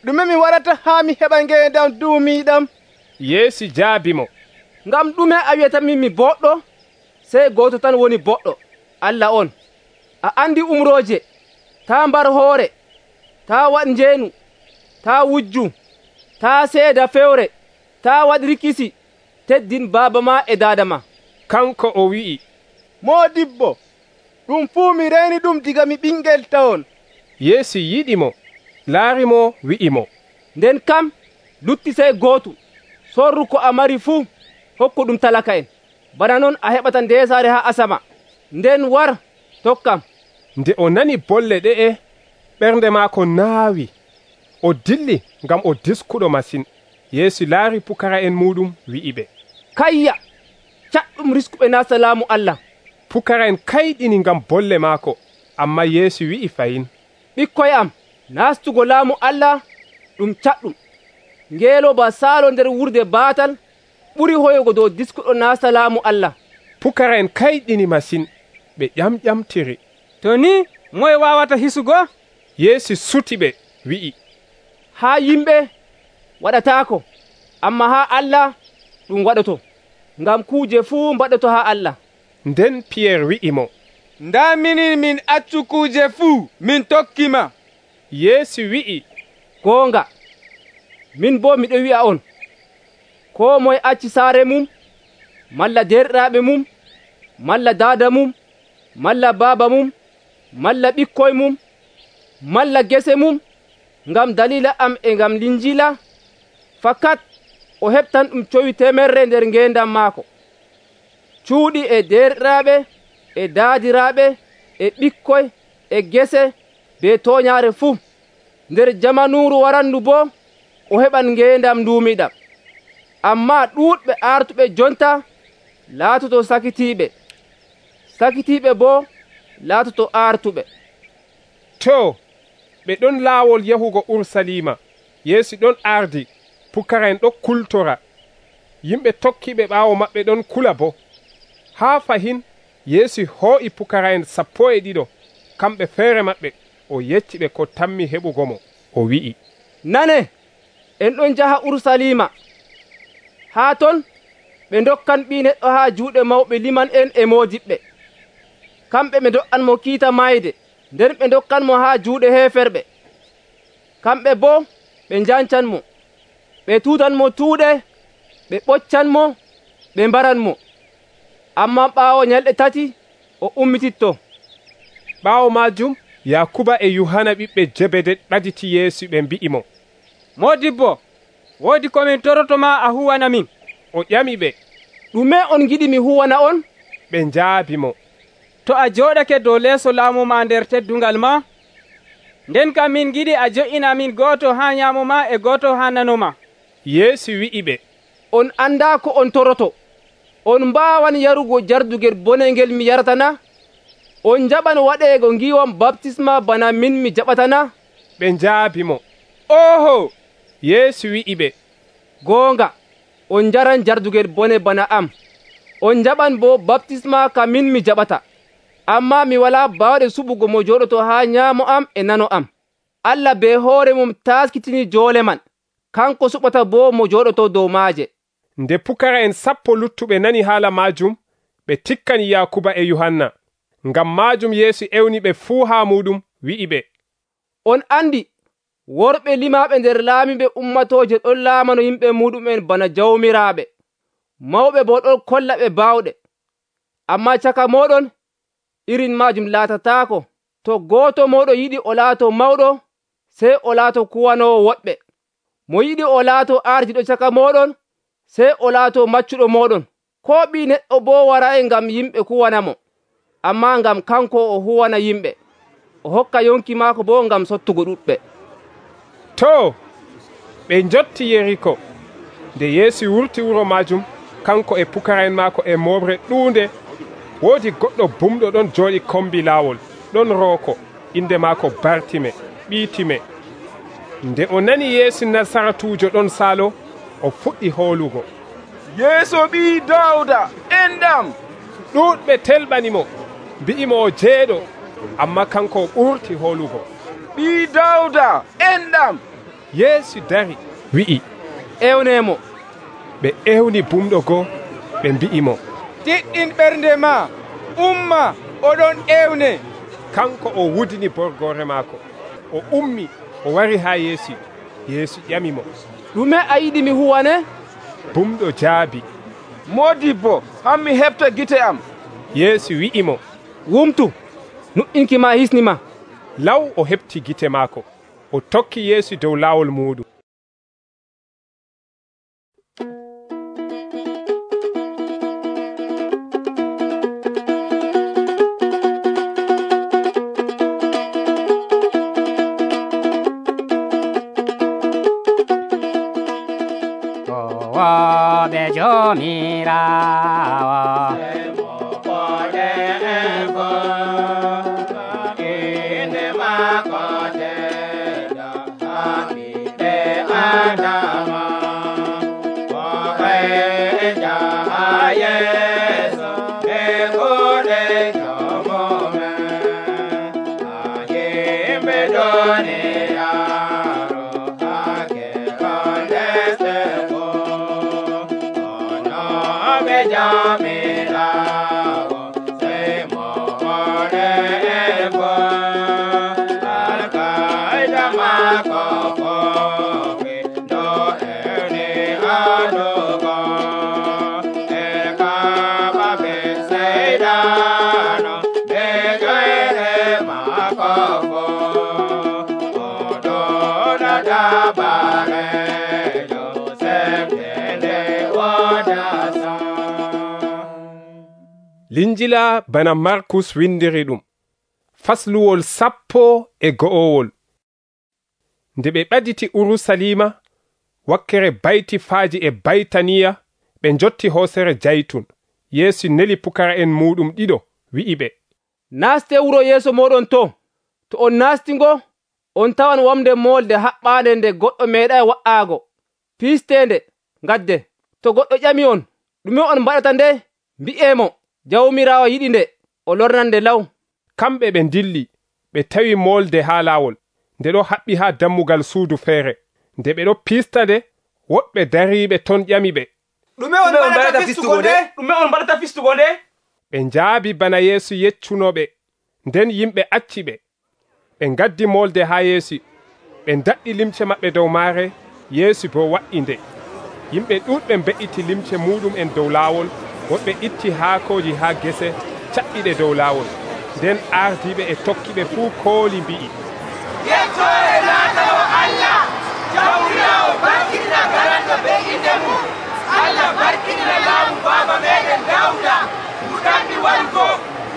ɗume mi waɗata haa mi heɓa ngeendam duumiiɗam? Yeesu jaabimo, ngam ɗume a wiyatamin mi boɗɗo? Sey gooto tan woni boɗɗo, Allah on. A andi umrooje, taa mbar hoore, taa waɗ njeenu, taa wujju, taa seeda fewre, taa waɗ rikisi, teddin baaba ma e daada ma. Kanko o wi'i, Moodibbo, ɗum fuu mi reeni ɗum diga mi ɓingel tawon. Yeesu yiɗimo, laarimo, wi'imo, nden kam lutti sey gootu, sorru ko a mari fuu, hokku ɗum talaka en. Bana non a heɓata ndeesaare haa asama. Nden war, tokkam. Nde o nani bolle ɗe'e, ɓernde maako naawi. O dilli ngam o diskuɗo masin. Yeesu laari pukara'en muɗum, wi'i ɓe, kayya, caɗɗum riskuɓe naasta laamu Allah. Pukara'en kayɗini ngam bolle maako, amma Yeesu wi'i fayin, ɓikkoy am, naastugo laamu Allah ɗum caɗɗum. Ngeelo ba saalo nder wurde baatal ɓuri hoyugo dow diskuɗo naasta laamu Allah. Pukara'en kayɗini masin, ɓe ƴamƴamtiri. To ni, moye wawata hisugo? Yeesu suti ɓe, wi'i, haa yimɓe waɗataako, amma haa Allah ɗum waɗoto, ngam kuuje fuu mbaɗoto haa Allah. Nden Piyeer wi'imo, nda minin min accu kuuje fuu min tokkima. Yeesu wi'i, goonga, min bo miɗo wi'a on, koo moye acci saare mum, malla derɗiraaɓe mum, malla daada mum, malla baaba mum, malla ɓikkoy mum, malla gese mum, ngam dalila am e ngam linjila, fakat o heɓtan ɗum cowi temerre nder ngeendam maako. Cuuɗi e derɗiraaɓe e daadiraaɓe e ɓikkoy e gese be tooñaare fuu. Nder jamanuuru warandu boo o heɓan ngeendam nduumiɗam. Amma ɗuuɗɓe artuɓe jonta laatoto sakitiiɓe, sakitiiɓe boo laatoto artuɓe. To, ɓe ɗon laawol yahugo Urusalima. Yeesu ɗon ardi, pukara'en ɗon kultora. Yimɓe tokkiɓe ɓaawo maɓɓe ɗon kula bo. Haa fahin, Yeesu hoo'i pukara'en 12, kamɓe feere maɓɓe, o yecci ɓe ko tammi heɓugo mo. O wi'i, nane, en ɗon njaha Urusalima. Haa ton, ɓe dokkan ɓii neɗɗo haa juuɗe mawɓe liman en e moodiɓɓe. Kamɓe ɓe do'an mo kiita mayde, nden ɓe dokkan mo haa juuɗe heeferɓe. kamɓe boo ɓe njancanmo, ɓe tuutanmo tuuɗe, ɓe ɓoccanmo, ɓe mbaranmo. Ammaa ɓaawo nyalɗe tati o ummititto. Ɓaawo maajum Yakuba e Yohana ɓiɓɓe Jebede ɗaditi Yeesu ɓe mbi'imo, Moodibbo, woodi komin torotoma a huwana min. O ƴami ɓe, ɗume on giɗi mi huwana on? Ɓe njaabimo, to a jooɗake dow leeso laamu ma nder teddungal ma, nden kam min giɗi a jo'ina min gooto haa nyaamo ma e gooto haa nano ma. Yeesu wi'i ɓe, on andaa ko on toroto. On mbaawan yarugo jardugel bonengel mi yaratana? On jaɓan waɗeego ngiwam baptisma bana min mi jaɓatana? Ɓe njaabimo, Oho! Yeesu wi'i ɓe, goonga, on njaran jardugel bone bana am. On jaɓan bo baptisma ka min mi jaɓata. Ammaa mi walaa baawɗe suɓugo mo jooɗoto haa nyaamo am e nano am. Allah be hoore mum taskitini joole man. Kanko suɓata bo mo jooɗoto dow maaje. Nde pukara'en 10 luttuɓe nani haala maajum, ɓe tikkani Yakuba e Yohanna. Ngam maajum Yeesu ewni ɓe fuu haa muɗum, wi'i ɓe, on andi worɓe limaaɓe nder laamiɓe ummatooje ɗon laamano yimɓe muɗumen bana jawmiraaɓe, mawɓe bo ɗon kolla ɓe baawɗe. Ammaa caka mooɗon irin maajum laatataako. To gooto mooɗon yiɗi o laato mawɗo, sey o laato kuwanoowo woɗɓe. Mo yiɗi o laato ardiɗo caka mooɗon, sey o laato maccuɗo mooɗon. Koo ɓii neɗɗo boo waraayi ngam yimɓe kuwanamo, ammaa ngam kanko o huwana yimɓe, o hokka yonki maako boo ngam sottugo ɗuɗɓe. To, ɓe njotti Yeriko. Nde Yeesu wurti wuro maajum, kanko e pukara'en maako e moɓre ɗuunde, woodi goɗɗo bumɗo ɗon jooɗi kombi laawol, ɗon rooko, inde maako Bartime, ɓii Time. Nde o nani Yeesu Nasaratuujo ɗon saalo, o fuɗɗi hoolugo, Yeeso ɓii Dawda, enɗam! Ɗuuɗɓe telɓanimo, mbi'imo o jeeɗo, amma kanko o ɓurti hoolugo, ɓii Dawda, enɗam! Yeesu dari, wi'i, ewnemo. Ɓe ewni bumɗo goo, ɓe mbi'imo, tiɗɗin ɓernde ma, umma, oɗon ewne. Kanko o wudini borgore maako, o ummi, o wari haa Yeesu. Yeesu ƴamimo, ɗume a yiɗi mi huwane? Bumɗo jaabi, Moodibbo, hammi heɓta gite am. Yeesu wi'imo, wumtu, nuɗɗinki ma hisnima. Law o heɓti gite maako, o tokki Yeesu dow laawol muɗum. Be jomirawo inde mako tedda hamide adama o eja yeso be gode tomome ayembe doni Linjila bana Markus windiri ɗum, fasluwol 11. Nde ɓe ɓaditi Urusalima, wakkere bayti faaji e Baytaniya, ɓe njotti hoosere Jaytun. Yeesu neli pukara'en muɗum ɗiɗo, wi'i ɓe, naste wuro yeeso moɗon to on nastingo, on tawan wamde molde haɓɓande nde goɗɗo meeɗay wa'aago, piistende, gadde. To goɗɗo ƴami on, ɗume on mbaɗata nde? Mbi'emo, jawmirawo yiɗi nde, o lornan nde law. Kamɓe ɓe dilli, ɓe tawi molde haa laawol, nde ɗo haɓɓi haa dammugal suudu feere. Nde ɓe ɗo piista nde, woɓɓe dariiɓe ton ƴami ɓe, ɗume on mbaɗata fistugo nde? Ɓe njaabi bana Yeesu yeccunoɓe, nden yimɓe acci ɓe. Ɓe ngaddi molde haa Yeesu, ɓe daɗɗi limce maɓɓe dow maare, Yeesu bo wa'i nde. Yimɓe ɗuuɗɓe mbe'iti limce muɗum'en dow laawol, woɓɓe itti haakooji haa gese caɓɓiɗe dow laawol. Nden ardiiɓe e tokkiɓe fuu kooli mbi'i, yettore laatawo Allah, jawmirawo barkinina garanda be inde mum. Allah barkinina laamu baaba meɗen Dawda, muɗanmi warugo.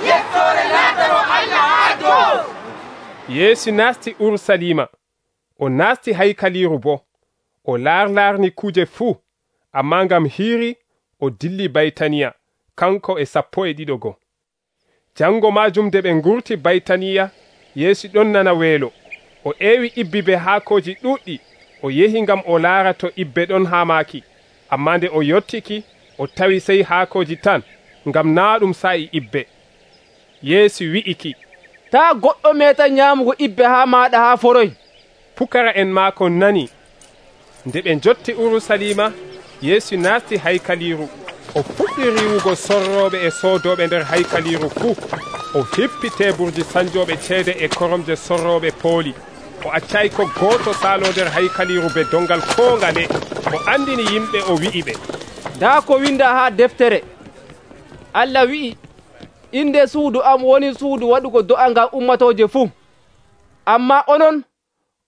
Yettore laatawo Allah haa dow. Yeesu naasti Urusalima, o naasti haykaliiru bo. O laarni kuje fuu, ammaa ngam hiiri o dilli Baytaniya, kanko e 12 Jango maajum nde ɓe ngurti Baytaniya, Yeesu ɗon nana weelo. O eewi ibbibe haakooji ɗuuɗɗi, o yehi ngam o laara to ibbe ɗon haa maaki. Ammaa nde o yottiki, o tawi sey haakooji tan, ngam naa ɗum sa'i ibbe. Yeesu wi'iki, taa goɗɗo meeta nyaamugo ibbe haa maaɗa haa foroy. Pukara en maako nani. Nde ɓe jotti Urusalima, Yeesu naasti haykaliiru. O fuɗɗi riwugo sorrooɓe e soodooɓe nder haykaliiru fuu. O hippi teeburji sanjooɓe ceede e koromje sorrooɓe pooli. O accay ko gooto saalo nder haykaliiru be dongal koo ngale. O andini yimɓe, o wi'iɓe, daa ko winda haa deftere. Allah wi'i, inde suudu am woni suudu waɗugo do'a ngam ummatooje fuu. Ammaa onon,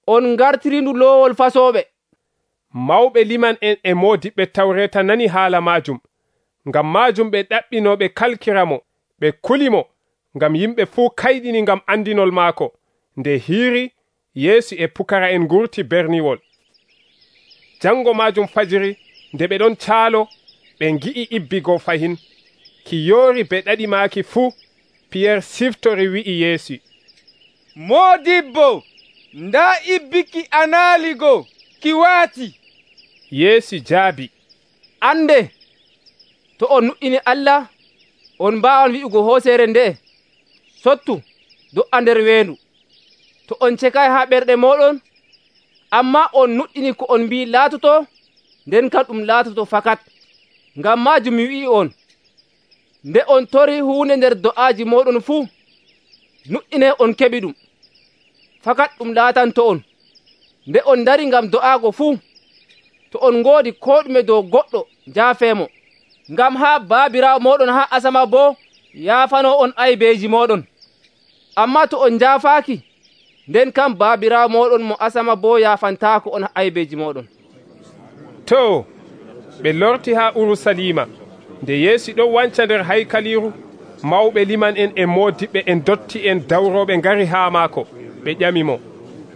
on ngartirindu loowol fasooɓe. Mawɓe liman en e moodiɓɓe Tawreeta nani haala maajum. Ngam maajum ɓe ɗaɓɓino ɓe kalkiramo, ɓe kulimo, ngam yimɓe fuu kayɗini ngam andinol maako. Nde hiiri, Yeesu e pukara en ngurti berniwol. Jango maajum fajiri, nde ɓe ɗon caalo, ɓe ngi'i ibbigo fahin. Ki yoori be ɗaɗi maaki fuu, Piyeer siftori wi'i Yeesu, Moodibbo, ndaa ibbiki anaaligo, ki waati. Yeesu jaabi, ande, to on nuɗɗini Allah, on mbaawan wi'ugo hooseere nde, sottu, do'a nder weendu. To on cekay haa ɓerɗe mooɗon, ammaa on nuɗɗini ko on mbii laatoto, nden kam ɗum laatoto fakat. Ngam maajum mi wi'i on, nde on tori huunde nder do'aaji mooɗon fuu, nuɗɗine on keɓi ɗum. Fakat ɗum laatanto on. Nde on dari ngam do'aago fuu, to on ngoodi koo ɗume dow goɗɗo, njaafeemo. Ngam haa baabiraawo mooɗon haa asama boo yaafano on aybeeji mooɗon. Ammaa to on njaafaaki, nden kam baabiraawo mooɗon mo asama boo yaafantaako on aybeeji mooɗon. To, ɓe lorti haa Urusalima. Nde Yeesu ɗon wanca nder haykaliiru, mawɓe liman en e moodiɓɓe en dotti en dawrooɓe ngari haa maako. Ɓe ƴamimo,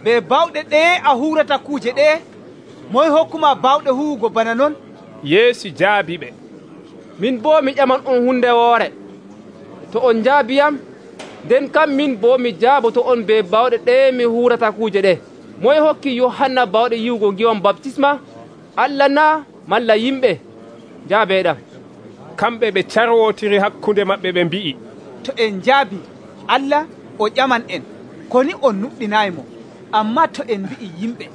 be bawɗe ɗeye a huurata kuuje ɗeye? Moy hokkuma bawɗe huwugo bana non? Yeesu jaabi ɓe, min boo mi ƴaman on hunde woore. To on njaabiyam, nden kam min boo mi jaaboto on be bawɗe ɗeye mi huurata kuuje ɗe. Moy hokki Yohanna bawɗe yiwugo ngiwam baptisma? Allah naa malla yimɓe? Njaabeeɗam. Kamɓe ɓe carwotiri hakkunde maɓɓe ɓe mbi'i, to en njaabi Allah o ƴaman en, koni on nuɗɗinaymo, amma to en mbi'i yimɓe.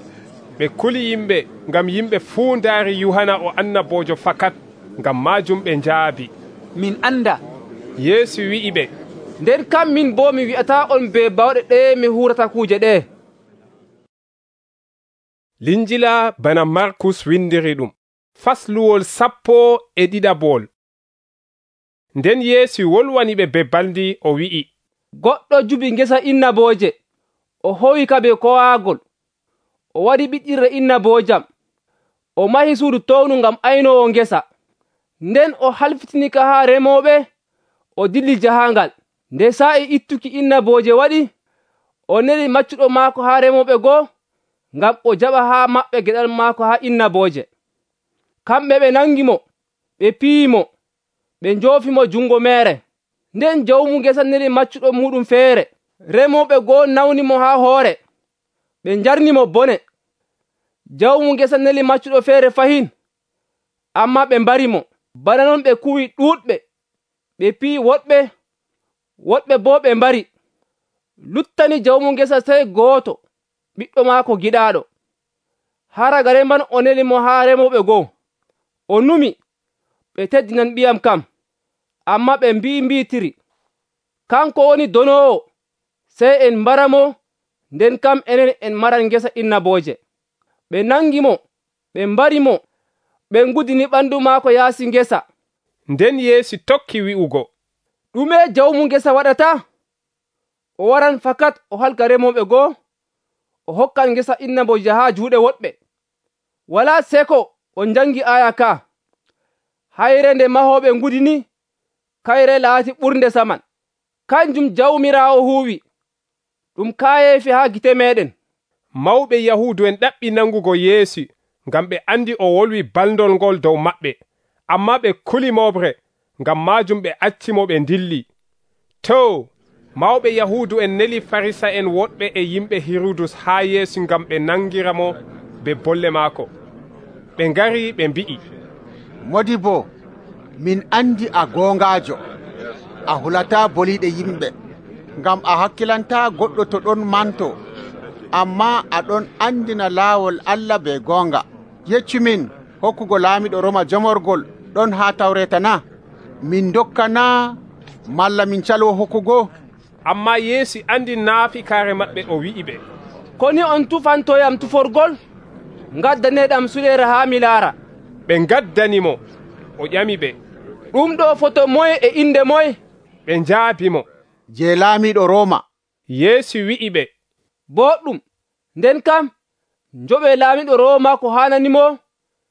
Ɓe kuli yimɓe, ngam yimɓe fuu ndaari Yohana o annaboojo fakat. Ngam maajum ɓe njaabi, min anda. Yeesu wi'i ɓe, nden kam min boo mi wi'ata on be bawɗe ɗeye mi huurata kuuje ɗe. Linjila bana Markus windiri ɗum. Fasluwol 12. Nden Yeesu wolwani ɓe be baldi, o wi'i, goɗɗo jubi ngesa innabooje, o howi ka be kowaagol, o waɗi ɓiɗɗirre innaboojam, o mahi suudu townu ngam aynoowo ngesa. Nden o halfitini ka haa remooɓe, o dilli jahangal. Nde sa'i ittuki innabooje waɗi, o neli maccuɗo maako haa remooɓe goo, ngam o jaɓa haa maɓɓe geɗal maako haa innabooje. Kamɓe ɓe nangimo, ɓe piyimo, ɓe njoofimo jungo meere. Nden jawmu ngesa neli maccuɗo muɗum feere. Remooɓe goo nawnimo haa hoore, ɓe njarnimo bone. Jawmu ngesa neli maccuɗo feere fahin, amma ɓe mbarimo. Bana non ɓe kuwi ɗuuɗɓe, ɓe piyi woɗɓe, woɗɓe boo ɓe mbari. Luttani jawmu ngesa sey gooto, ɓiɗɗo maako giɗaaɗo. Haragare man o neli mo haa remooɓe goo. O numi, ɓe teddinan ɓiyam kam, amma ɓe mbiitiri, kanko woni donoowo, sey en mbaramo nden kam enen en maran ngesa innabooje. Ɓe nangi mo, ɓe mbari mo, ɓe ngudini ɓandu maako yaasi ngesa. Nden Yeesu tokki wi'ugo, ɗume jawmu ngesa waɗata? O waran fakat o halka remooɓe goo, o hokkan ngesa innabooje haa juuɗe woɗɓe. Walaa seko on jangi aya ka. Hayre nde mahooɓe ngudini, kayre laati ɓurnde saman. Kanjum Jawmiraawo huuwi, ɗum kaayeefi haa gite meeɗen. Mawɓe Yahuudu en ɗaɓɓi nangugo Yeesu ngam ɓe andi o wolwi baldol ngol dow maɓɓe, amma ɓe kuli moɓre, ngam maajum ɓe accimo ɓe ndilli. To, mawɓe Yahuudu en neli Farisa en woɗɓe e yimɓe Hirudus haa Yeesu ngam ɓe nangira mo be bolle maako. Ɓe ngari ɓe mbi'i, Modibo, min andi a goongaajo, a hulata boliɗe yimɓe, ngam a hakkilanta goɗɗo to ɗon manto, amma aɗon andina laawol Allah be goonga. Yeccumin, hokkugo laamiɗo Roma jamorgol ɗon haa Tawreta na? Min dokkana malla min calo hokkugo? Amma Yeesu andi naafikaare maɓɓe, o wi'i ɓe, koni on tufantoyam tuforgol? Ngaddaneɗam suɗere haa mi laara. Ɓe ngaddanimo. O ƴami ɓe, ɗum ɗo foto moye e inde moye? Ɓe njaabimo, je laamiɗo Roma. Yeesu wi'i ɓe, boɗɗum, nden kam njoɓe laamiɗo Roma ko hananimo,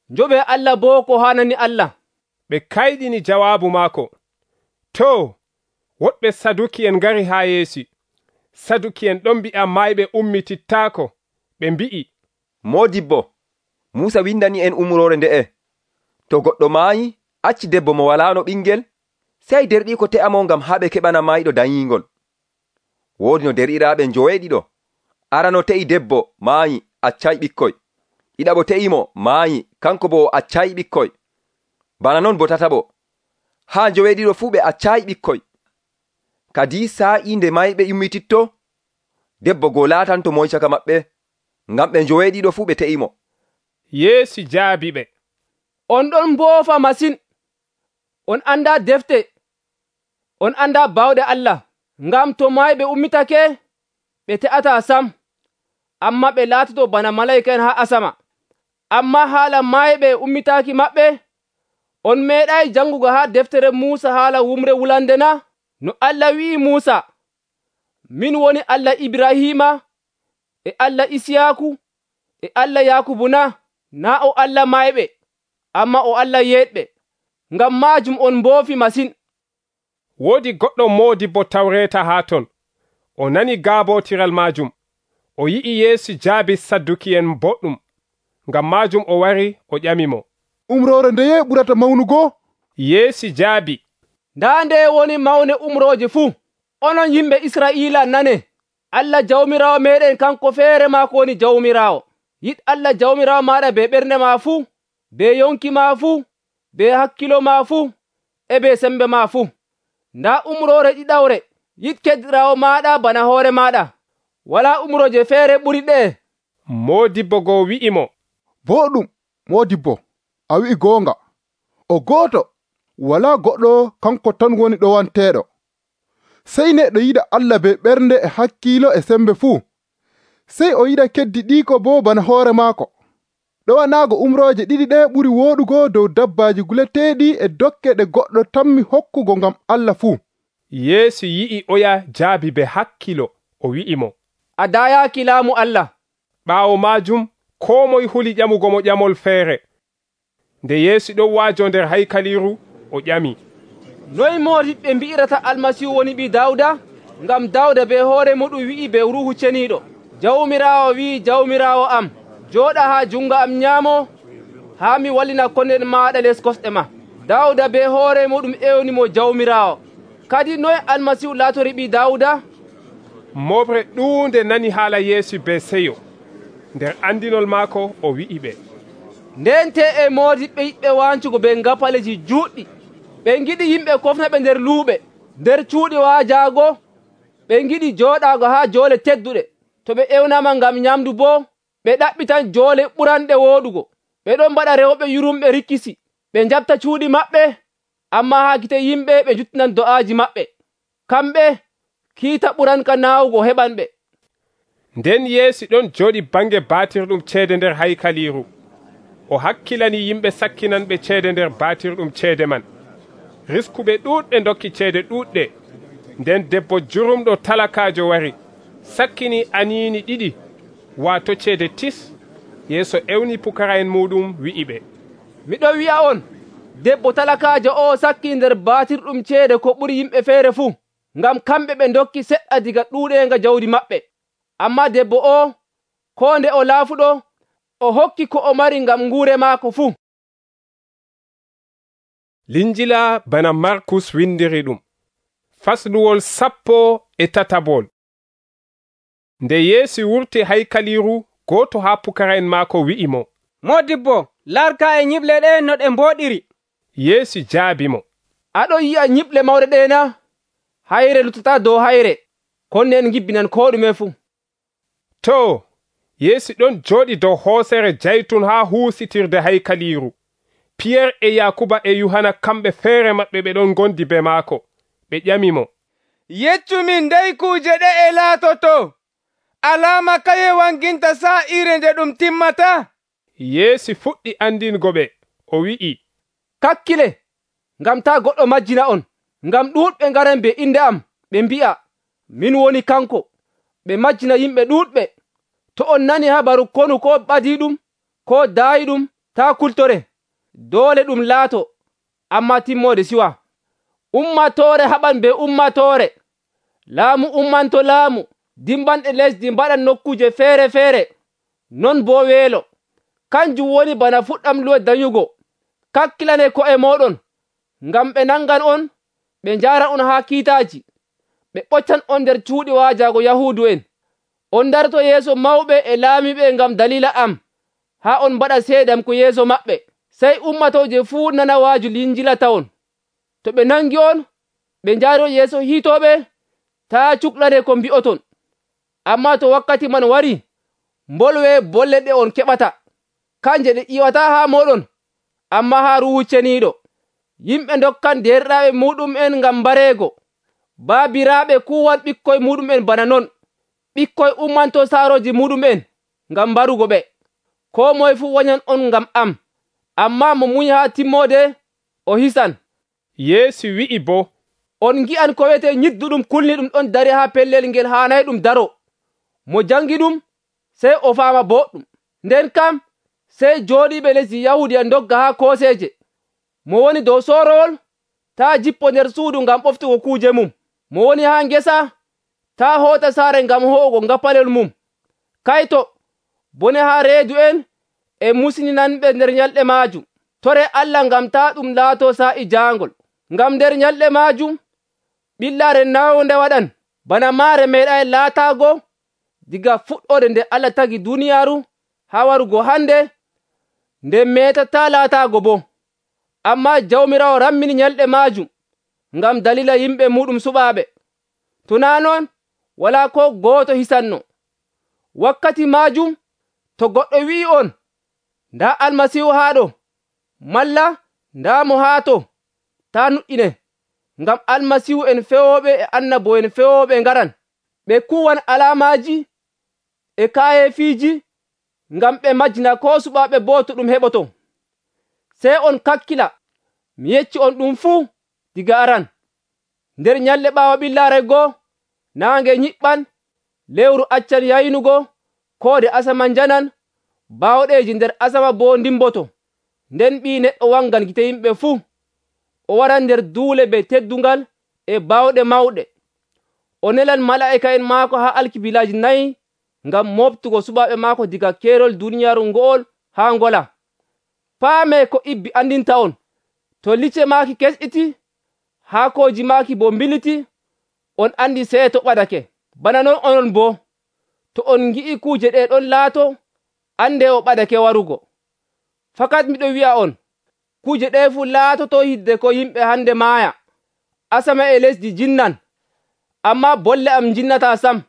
njoɓe Allah bo ko hanani Allah. Ɓe kayɗini jawaabu maako. To, woɗɓe Saduki en ngari haa Yeesu. Saduki en ɗon mbi'a mayɓe ummitittaako. Ɓe mbi'i, Modibbo, Musa windani en umrore nde'e. To goɗɗo maayi, acci debbo mo walaano ɓingel, sey derɗiiko te'amo ngam haɓe keɓana maayiɗo danyingol. Woodi no derɗiraaɓe njoweeɗiɗo. Arano te'i debbo maayi, accay ɓikkoy. Ɗiɗaɓo te'imo maayi, kanko bo accay ɓikkoy. Bana non bo tataɓo. Haa njoweeɗiɗo fuu ɓe accay ɓikkoy. Kadi saa'i nde mayɓe ummititto, debbo goo laatanto moy caka maɓɓe, ngam ɓe njoweeɗiɗo fuu ɓe te'imo. Yeesu jaabi ɓe, on ɗon mboofa masin. On anda defte, on anda bawɗe Allah, ngam to mayɓe ummitake, ɓe te'ata sam, amma ɓe laatoto bana malayika en haa asama. Amma haala mayɓe ummitaki maɓɓe, on meeɗay jangugo haa deftere Muusa haala wumre wulande na? No Allah wi'i Muusa, min woni Allah Ibrahima, e Allah Isiyaku, e Allah Yakubu na? Na o Allah mayɓe, amma o Allah yeɗɓe. Ngam maajum on mboofi masin. Woodi goɗɗo Modibbo Tawreta haa ton. O nani gaabotiral maajum. O yi'i Yeesu jaabi Sadduki en boɗɗum. Ngam maajum o wari o ƴamimo, umrore ndeye ɓurata mawnugo? Yeesu jaabi, nda nde woni mawne umroje fuu. Onon yimɓe Israila nane, Allah Jawmirawo meɗen kanko feere maako woni Jawmirawo. Yiɗ Allah Jawmirawo maɗa be ɓernde ma fuu, be yonki ma fuu, be hakkilo ma fuu, e be sembe ma fuu. Nda umrore ɗiɗawre, yiɗ keddiraawo maɗa bana hoore maɗa. Wala umroje feere ɓuri ɗe. Modibbo go wi'imo, boɗɗum, Modibbo, a wi'i goonga. O gooto, wala goɗɗo kanko tan woni ɗowanteeɗo. Sey neɗɗo yiɗa Allah be ɓernde e hakkilo e sembe fuu. Sey o yiɗa keddiɗiiko bo bana hoore maako. Ɗowanaago umroje ɗiɗi ɗe ɓuri wooɗugo dow dabbaji guleteeɗi e dokke ɗe goɗɗo tammi hokkugo ngam Allah fuu. Yeesu yi'i oya jaabi be hakkilo, o wi'imo, a dayaaki laamu Allah. Ɓaawo maajum, koo moye huli ƴamugo mo ƴamol feere. Nde Yeesu ɗon waajo nder haykaliru, o ƴami, noy moodiɓɓe mbi'irata Almasihu woni ɓi Dawda? Ngam Dawda be hoore muɗum wi'i be Ruuhu Ceniiɗo, Jawmiraawo wi'i Jawmiraawo am, jooɗa haa jungo am nyaamo, haa mi wallina konden maaɗa les kosɗe ma. Dawda be hoore muɗum ewnimo Jawmiraawo. Kadi noy Almasihu laatori ɓi Dawda? Moɓre ɗuunde nani haala Yeesu be seyo. Nder andinol maako o wi'i ɓe, ndente e moodiɓɓe yiɗɓe wancugo be ngapaleji juɗɗi. Ɓe ngiɗi yimɓe kofnaɓe nder luuɓe, nder cuuɗi waajaago. Ɓe ngiɗi jooɗaago haa joole tedduɗe. To ɓe ewnama ngam nyamdu bo, ɓe ɗaɓɓitan joole ɓuranɗe wooɗugo. ɓe ɗon mbaɗa rewɓe yurumɓe rikkisi. Ɓe jaɓta cuuɗi maɓɓe, amma haa gite yimɓe ɓe juttinan do'aaji maɓɓe. Kamɓe kiita ɓuranka naawugo heɓanɓe. Nden Yeesu ɗon jooɗi bange baatirɗum ceede nder haykaliiru. O hakkilani yimɓe sakkinanɓe ceede nder baatirɗum ceede man. Riskuɓe ɗuuɗɓe dokki ceede ɗuuɗɗe. Nden debbo jurumɗo talakaajo wari, sakkini aniini 2 waato ceede tis. Yeesu ewni pukara'en muɗum wi'iɓe, miɗo wi'a on, debbo talakaajo o sakki nder baatirɗum ceede ko ɓuri yimɓe feere fuu, ngam kamɓe ɓe dokki seɗɗa diga ɗuuɗeenga jawdi maɓɓe. Ammaa debbo o, koo nde o laafuɗo, o hokki ko o mari ngam nguure maako fuu. Linjila bana Markus windiri ɗum. Fasluwol 13. Nde Yeesu wurti haykaliiru, gooto haa pukara'en maako wi'imo, Modibbo, larka e nyiɓle ɗe no ɗe mbooɗiri. Yeesu jaabi mo, aɗon yi'a nyiɓle mawɗe ɗe na? Hayre lutata dow hayre, konne en gibbinan koo ɗume fuu. To, Yeesu ɗon jooɗi dow hoosere jaytun haa huusitirde haykaliiru. Piyer e Yakuba e Yohana kamɓe feere maɓɓe ɓe ɗon gondi be maako. Ɓe ƴamimo, yeccumin ndey kuuje ɗe e laatoto, alaama kaye wanginta saa'ire nde ɗum timmata? Yeesu fuɗɗi andingo ɓe, o wi'i, kakkile, ngam taa goɗɗo majjina on, ngam ɗuuɗɓe ngaran be inde am, ɓe mbi'a, min woni kanko, ɓe majjina yimɓe ɗuuɗɓe. To on nani habaru konu ko ɓadiiɗum, ko daayiɗum, taa kultore, doole ɗum laato, ammaa timmoode siwa. Ummatoore haɓan be ummatoore, laamu ummanto laamu, dimbanɗe lesdi mbaɗan nokkuje feere feere, non boo weelo. Kanjum woni bana fuɗɗam luwe danyugo. Kakkilane ko'e mooɗon, ngam ɓe nangan on, ɓe njaaran on haa kiitaaji, ɓe ɓoccan on nder cuuɗi waajaago Yahuudu'en. On darto yeeso mawɓe e laamiɓe ngam dalila am, haa on mbaɗa seedam ko yeeso maɓɓe. Sey ummatooje fuu nana waaju linjila tawon. To ɓe nangi on, ɓe njaari on yeeso hiitooɓe, taa cuklane ko mbi'oton. Ammaa to wakkati man wari, mbolwe bolle ɗe on keɓata, kanje ɗe ƴiwataa haa mooɗon, ammaa haa Ruuhu Ceniiɗo. Yimɓe dokkan derɗiraaɓe muɗum'en ngam mbareego, baabiraaɓe kuwan ɓikkoy muɗum'en bana non. Ɓikkoy ummanto saarooji muɗum'en ngam mbarugo ɓe. Koo moye fuu wanyan on ngam am, ammaa mo munya haa timmoode, o hisan. Yeesu wi'i boo, on ngi'an ko wiyetee nyidduɗum kulniɗum ɗon dari haa pellel ngel haanay ɗum daro. Mo jangi ɗum, sey o faama boɗɗum. Nden kam, sey jooɗiiɓe lesdi Yahuudiya ndogga haa kooseeje. Mo woni dow soorowol, taa jippo nder suudu ngam ɓoftugo kuuje mum. Mo woni haa ngesa, taa hoota saare ngam ho'ugo ngapalel mum. Kayto, bone haa reedu'en e musininanɓe nder nyalɗe maajum. Tore Allah ngam taa ɗum laato saa'i jaangol. Ngam nder nyalɗe maajum, ɓillaare nawnde waɗan, bana maare meeɗay laataago diga fuɗɗode nde Allah tagi duniyaaru haa warugo hande, nde meetataa laataago boo. Ammaa Jawmiraawo rammini nyalɗe maajum ngam dalila yimɓe muɗum suɓaaɓe. To naa non, walaa ko gooto hisanno. Wakkati maajum, to goɗɗo wi'i on, ndaa Almasiihu haa ɗo, malla ndaa mo haa to, taa nuɗɗine, ngam Almasiihu en fewooɓe e annabo'en fewooɓe ngaran. Ɓe kuwan alaamaaji e kaayefiiji ngam ɓe majjina koo suɓaaɓe boo to ɗum heɓoto. Sey on kakkila, mi yecci on ɗum fuu diga aran. Nder nyalɗe ɓaawo ɓillaare goo, naange nyiɓɓan, lewru accan yaynugo, koode asama njanan, baawɗeeji nder asama boo ndimboto. Nden Ɓii Neɗɗo wangan gite yimɓe fuu. O waran nder duule be teddungal e baawɗe mawɗe. O nelan malaa'ika'en maako haa alkibilaaji 4 ngam mooftugo suɓaaɓe maako diga keerol duniyaaru ngo'ol haa ngola. Paamee ko ibbi andinta on, to lice maaki kesɗiti, haakooji maaki boo mbiliti, on andi seeto ɓadake. Bana non onon boo, to on ngi'i kuuje ɗe ɗon laato, ande o ɓadake warugo. Fakat miɗo wi'a on, kuuje ɗe fuu laatoto hidde ko yimɓe hande maaya, asama e lesdi jinnan, ammaa bolle am jinnataa sam.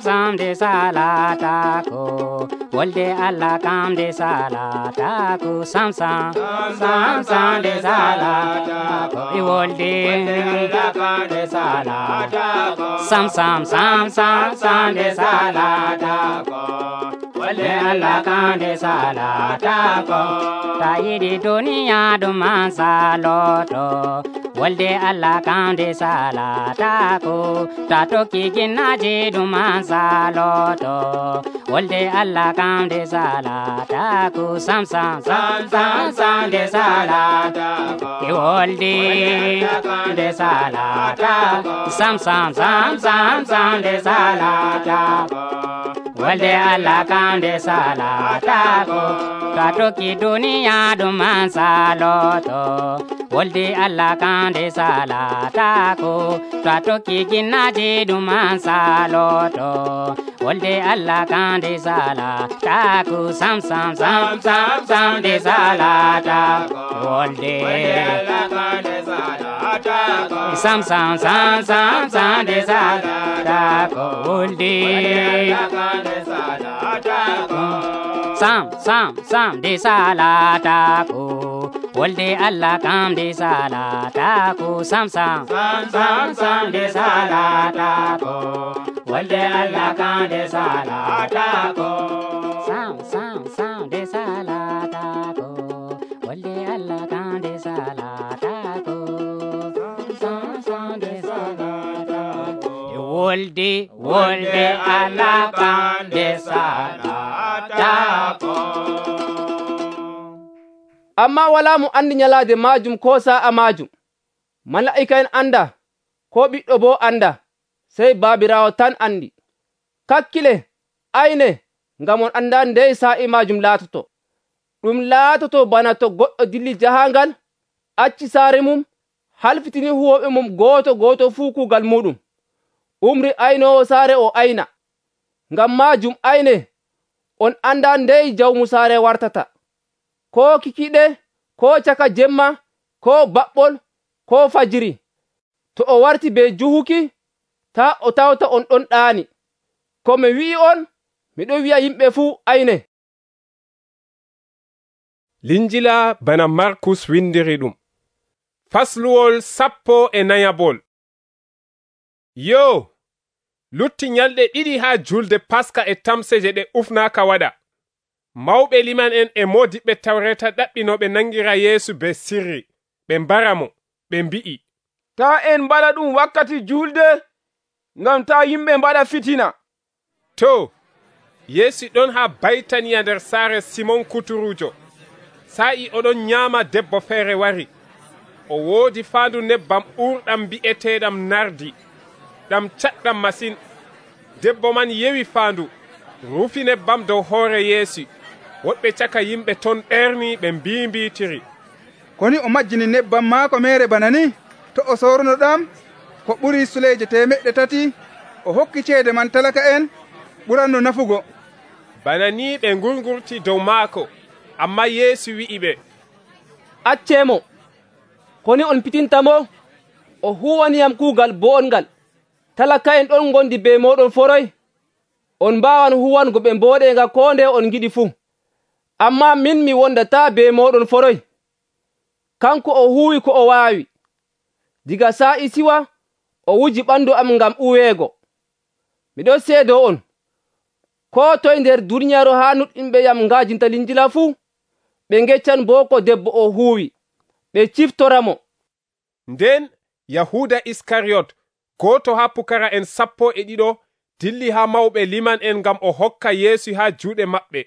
Sam de salatako wolde Allah kam nde salataku sam sam sam sam nde salataku e wolde Allah kam nde salataku sam sam sam sam sam nde salataku wolde Allah kam nde salataku ta yiɗi duniya ɗum an saloto wolde Allah kam nde salataku ta tokki ginnaji ɗum an saloto wolde Allah kam nde salataku sam sam sam sam sam nde salataku e wolde nde salataku sam sam sam sam sam nde salataku wolde Allah kam nde salataku ta tokki duniya ɗum an saloto wolde Allah kam nde salataku ta tokki ginnaji ɗum an saloto wolde Allah kam nde salataku sam sam sam sam sam nde salataku wolde Allah kam nde salataku sam sam sam sam sam nde salataku wolde Allah kam nde salataku sam sam sam nde salataku wolde Allah kam nde salataku sam sam sam sam sam nde salataku wolde Allah kam nde salataku sam sam sam nde salataku wolde Allah kam nde salataku sam sam nde salataku wolde wolde Allah kam nde salataku. Amma wala mo andi nyalaade majum ko sa'a majum, mala'ika en anda ko ɓiɗɗo bo anda, sey Baabiraawo tan andi. Kakkile ayne ngam on anda ndey sa'i majum laatoto. Ɗum laatoto bana to goɗɗo dilli jahangal, acci saare mum, halfitini huwoɓe mum gooto gooto fuu kuugal muɗum, umri aynowo saare o ayna. Ngam majum ayne on anda ndey jawmu saare wartata, ko kikiɗe, ko caka jemma, ko baɓɓol, ko fajiri. To o warti be juhuki, ta o tawta on ɗon ɗaani. Ko mi wi'i on, miɗo wi'a yimɓe fuu ayne. Linjila bana Markus windiri ɗum. Fasluwol 14. Yo, lutti nyalɗe ɗiɗi ha julde Paska e tamseje ɗe ufnaaka waɗa. Mawɓe liman en e modiɓɓe tawreta ɗaɓɓino ɓe nangira Yeesu be sirri, ɓe mbara mo, ɓe mbi'i, ta en mbaɗa ɗum wakkati julde, ngam ta yimɓe mbaɗa fitina. To, Yeesu ɗon ha Baytaniya nder saare Simon kuturujo. Sa'i oɗon nyaama debbo feere wari. O woodi faandu nebbam ɓurɗam bi'eteɗam nardi, ɗam caɗɗam masin. Debbo man yewi faandu, rufi nebbam dow hoore Yeesu. Woɗɓe caka yimɓe ton ɓerni ɓe mbimbitiri. Koni o majjini nebbam maako mere bana ni? To o sorno ɗam ko ɓuri suleje 300, o hokki ceede man talaka en ɓuranno nafugo. Bana ni ɓe ngurgurti dow maako, amma Yeesu wi'i ɓe, accemo, koni on pitintamo? O huwaniyam kuugal boongal. Talaka en ɗon gondi be moɗon foroy. On mbawan huwango ɓe mboɗenga ko nde on giɗi fuu. Amma min mi wondata be moɗon foroy. Kanko o huwi ko o waawi. Diga sa'i siwa, o wuji ɓandu am ngam uweego. Miɗo seedo on, ko toye nder duniyaaru ha nuɗɗinɓe yam ngajinta Linjila fuu, ɓe ngeccan bo ko debbo o huwi, ɓe ciftoramo. Nden Yahuda Iskariyot, goto ha pukara en 12, dilli ha mawɓe liman en ngam o hokka Yeesu ha juuɗe maɓɓe.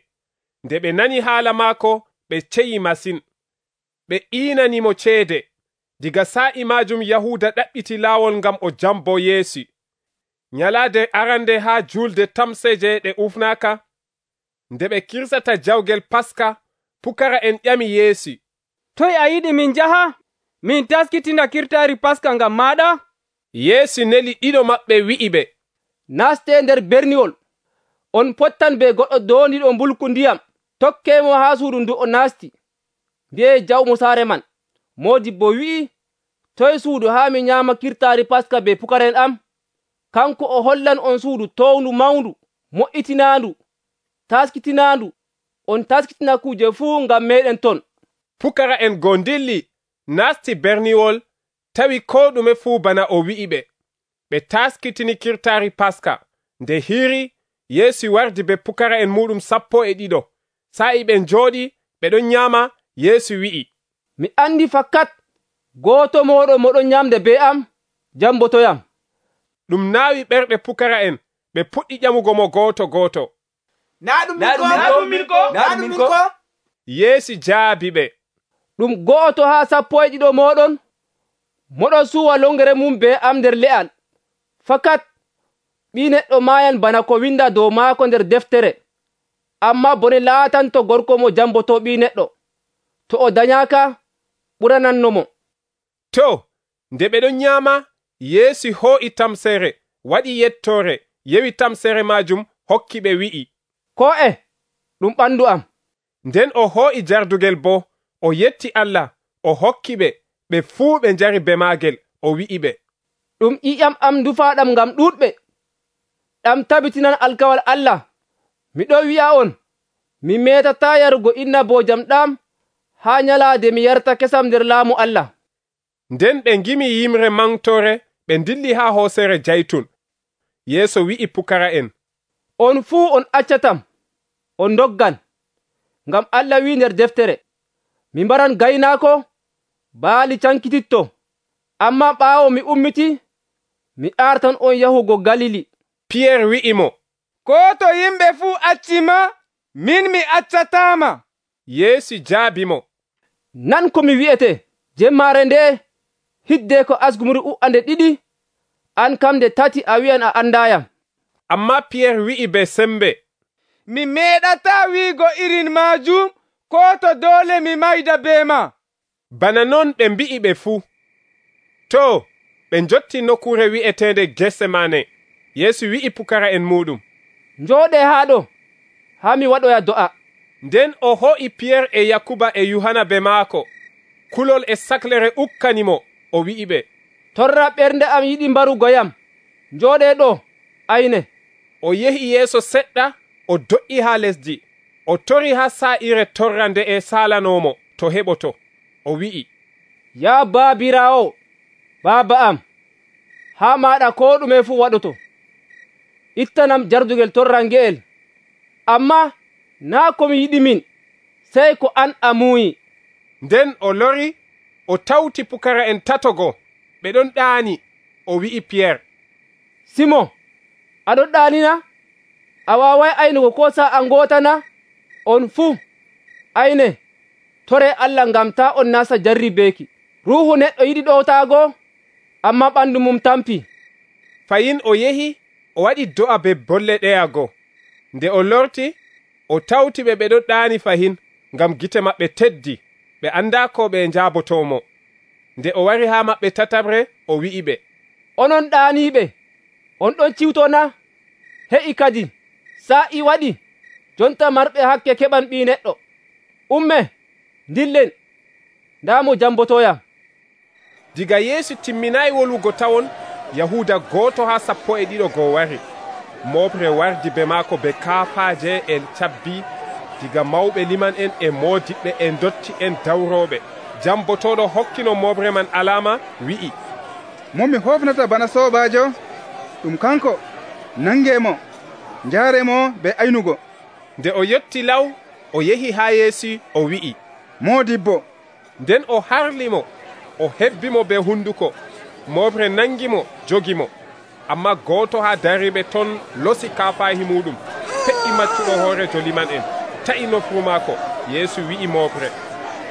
Nde ɓe nani haala maako, ɓe ceyi masin. Ɓe iinanimo ceede. Diga sa'i majum Yahuda ɗaɓɓiti laawol ngam o jambo Yeesu. Nyalaade arande ha julde tamseje ɗe ufnaaka, nde ɓe kirsata jawgel Paska, pukara en ƴami Yeesu, toy a yiɗi min jaha min taskitina kirtaari Paska ngam maɗa? Yeesu neli ɗiɗo maɓɓe wi'i ɓe, naste nder berniwol, on pottan be goɗɗo doondiɗo mbulku ndiyam, tokkemo ha suudu ndu o nasti. Mbi'e jawmu saare man, modibbo wi'i, toy suudu ha mi nyama kirtaari Paska be pukaren am? Kanko o hollan on suudu towndu mawndu, mo'itinandu. taskitinaandu on taskitina kuje fuu ngam meɗen ton. Pukara'en go dilli nasti berniwol tawi ko ɗume fuu bana o wi'i ɓe. Ɓe taskitini kirtari Paska. Nde hiri Yesu wardi be pukara'en muɗum 12. Sa'i ɓe njooɗi ɓe ɗon nyama, Yesu wi'i, mi andi fakkat goto moɗon moɗon nyamde be am jambotoyam. Ɗum naawi ɓerɗe pukara'en, ɓe puɗɗi ƴamugo mo goto. Na ɗum min ko? Yesu jaabi ɓe, ɗum go'oto ha 12 moɗon moɗon suwa longere mum be am nder le'al. Fakat ɓi neɗɗo maayan bana ko winda dow maako nder deftere. Amma bone laatanto gorko mo jamboto ɓi neɗɗo, to o danyaka ɓuranannomo. To, nde ɓe ɗon nyama, Yesu ho'i tamsere, waɗi yettore, yewi tamsere majum, hokki ɓe wi'i, ko'e, ɗum ɓandu am. Nden o ho'i jardugel bo, o yetti Allah, o hokki ɓe, ɓe fuu ɓe njari be maagel, o wi'i ɓe, ɗum ƴiƴam am dufaɗam ngam ɗuɗɓe. Ɗam tabitinan alkawal Allah. Miɗo wi'a on, mi metata yarugo innabojam ɗam ha nyalaade mi yarta kesam nder laamu Allah. Nden ɓe ngimi yimre mangtore, ɓe dilli ha hoosere Jaytun. Yesu wi'i pukara'en, on fuu on accatam, on doggan, ngam Allah wi nder deftere, mi mbaran gaynaako, baali cankititto. Amma ɓaawo mi ummiti, mi artan on yahugo Galili. Pierre wi'i mo, ko to yimɓe fuu accima, min mi accatama. Yesu jaabi mo, nan ko mi wi'ete, jemmare nde hidde ko asgumri u'ande 2, an kam nde 3 a wi'an a andayam. Amma Pierre wi'i be sembe, mi meɗata wiigo irin majum, ko to dole mi mayda be ma. Bana non ɓe mbi'i ɓe fuu. To, ɓe jotti nokkure wi'etende Getsemane. Yesu wi'i pukara'en muɗum, njooɗe haɗo, ha mi waɗoya do'a. Nden o ho'i Pierre e Yakuba e Yohana be maako. Kulol e saklere ukkanimo, o wi'i ɓe, torra ɓernde am yiɗi mbarugoyam, njooɗe ɗo, ayne. O yehi yeeso seɗɗa, o do'i ha lesdi, o tori ha sa'ire torra nde e salanomo to heɓoto. O wi'i, ya baabirawo, baaba am, ha maɗa ko ɗume fu waɗoto. Ittanam jardugel torrange'el, amma naa ko mi yiɗi min, sey ko an a muuyi. Nden o lori, o tawti pukara'en tatogo, ɓe ɗon ɗaani. O wi'i Pierre, Simon, aɗon ɗaanina? A waaway aynugo ko sa'a ngotana? On fuu, ayne, tore Allah ngam ta on nasta jarribeeki. Ruuhu neɗɗo yiɗi ɗowtaago, amma ɓandu mum tampi. Fayin o yehi, o waɗi do'a be bolle ɗeyago. Nde o lorti, o tawti ɓe ɗon ɗaani fahin, ngam gite maɓɓe teddi, ɓe anda ko ɓe njaabotomo. Nde o wari ha maɓɓe tatabre, o wi'i ɓe, onon ɗaaniɓe, on ɗon ciwtona? He'i kadi, sa'i waɗi, jonta marɓe hakke keɓan ɓi neɗɗo. Umme, dillen, ndamo jambotoyam. Diga Yesu timminayi wolugo tawon, Yahuda goto ha 12 go wari. Moɓre wardi be maako be kaafaje e cabbi, diga mawɓe liman en e modiɓɓe e dotti en dawroɓe. Jambotoɗo hokkino moɓre man alama, wi'i, mo mi hofnata bana sobajo, ɗum kanko, nangemo, njaaremo be aynugo. Nde o yetti law, o yehi ha Yeesu, o wi'i, modibbo. Nden o harlimo, o hebbimo be hunduko. Moɓre nangimo, jogimo. Amma goto ha dariɓe ton losi kaafahi muɗum, fe'i maccuɗo hoorejo liman en, ta'i nofru maako. Yeesu wi'i moɓre,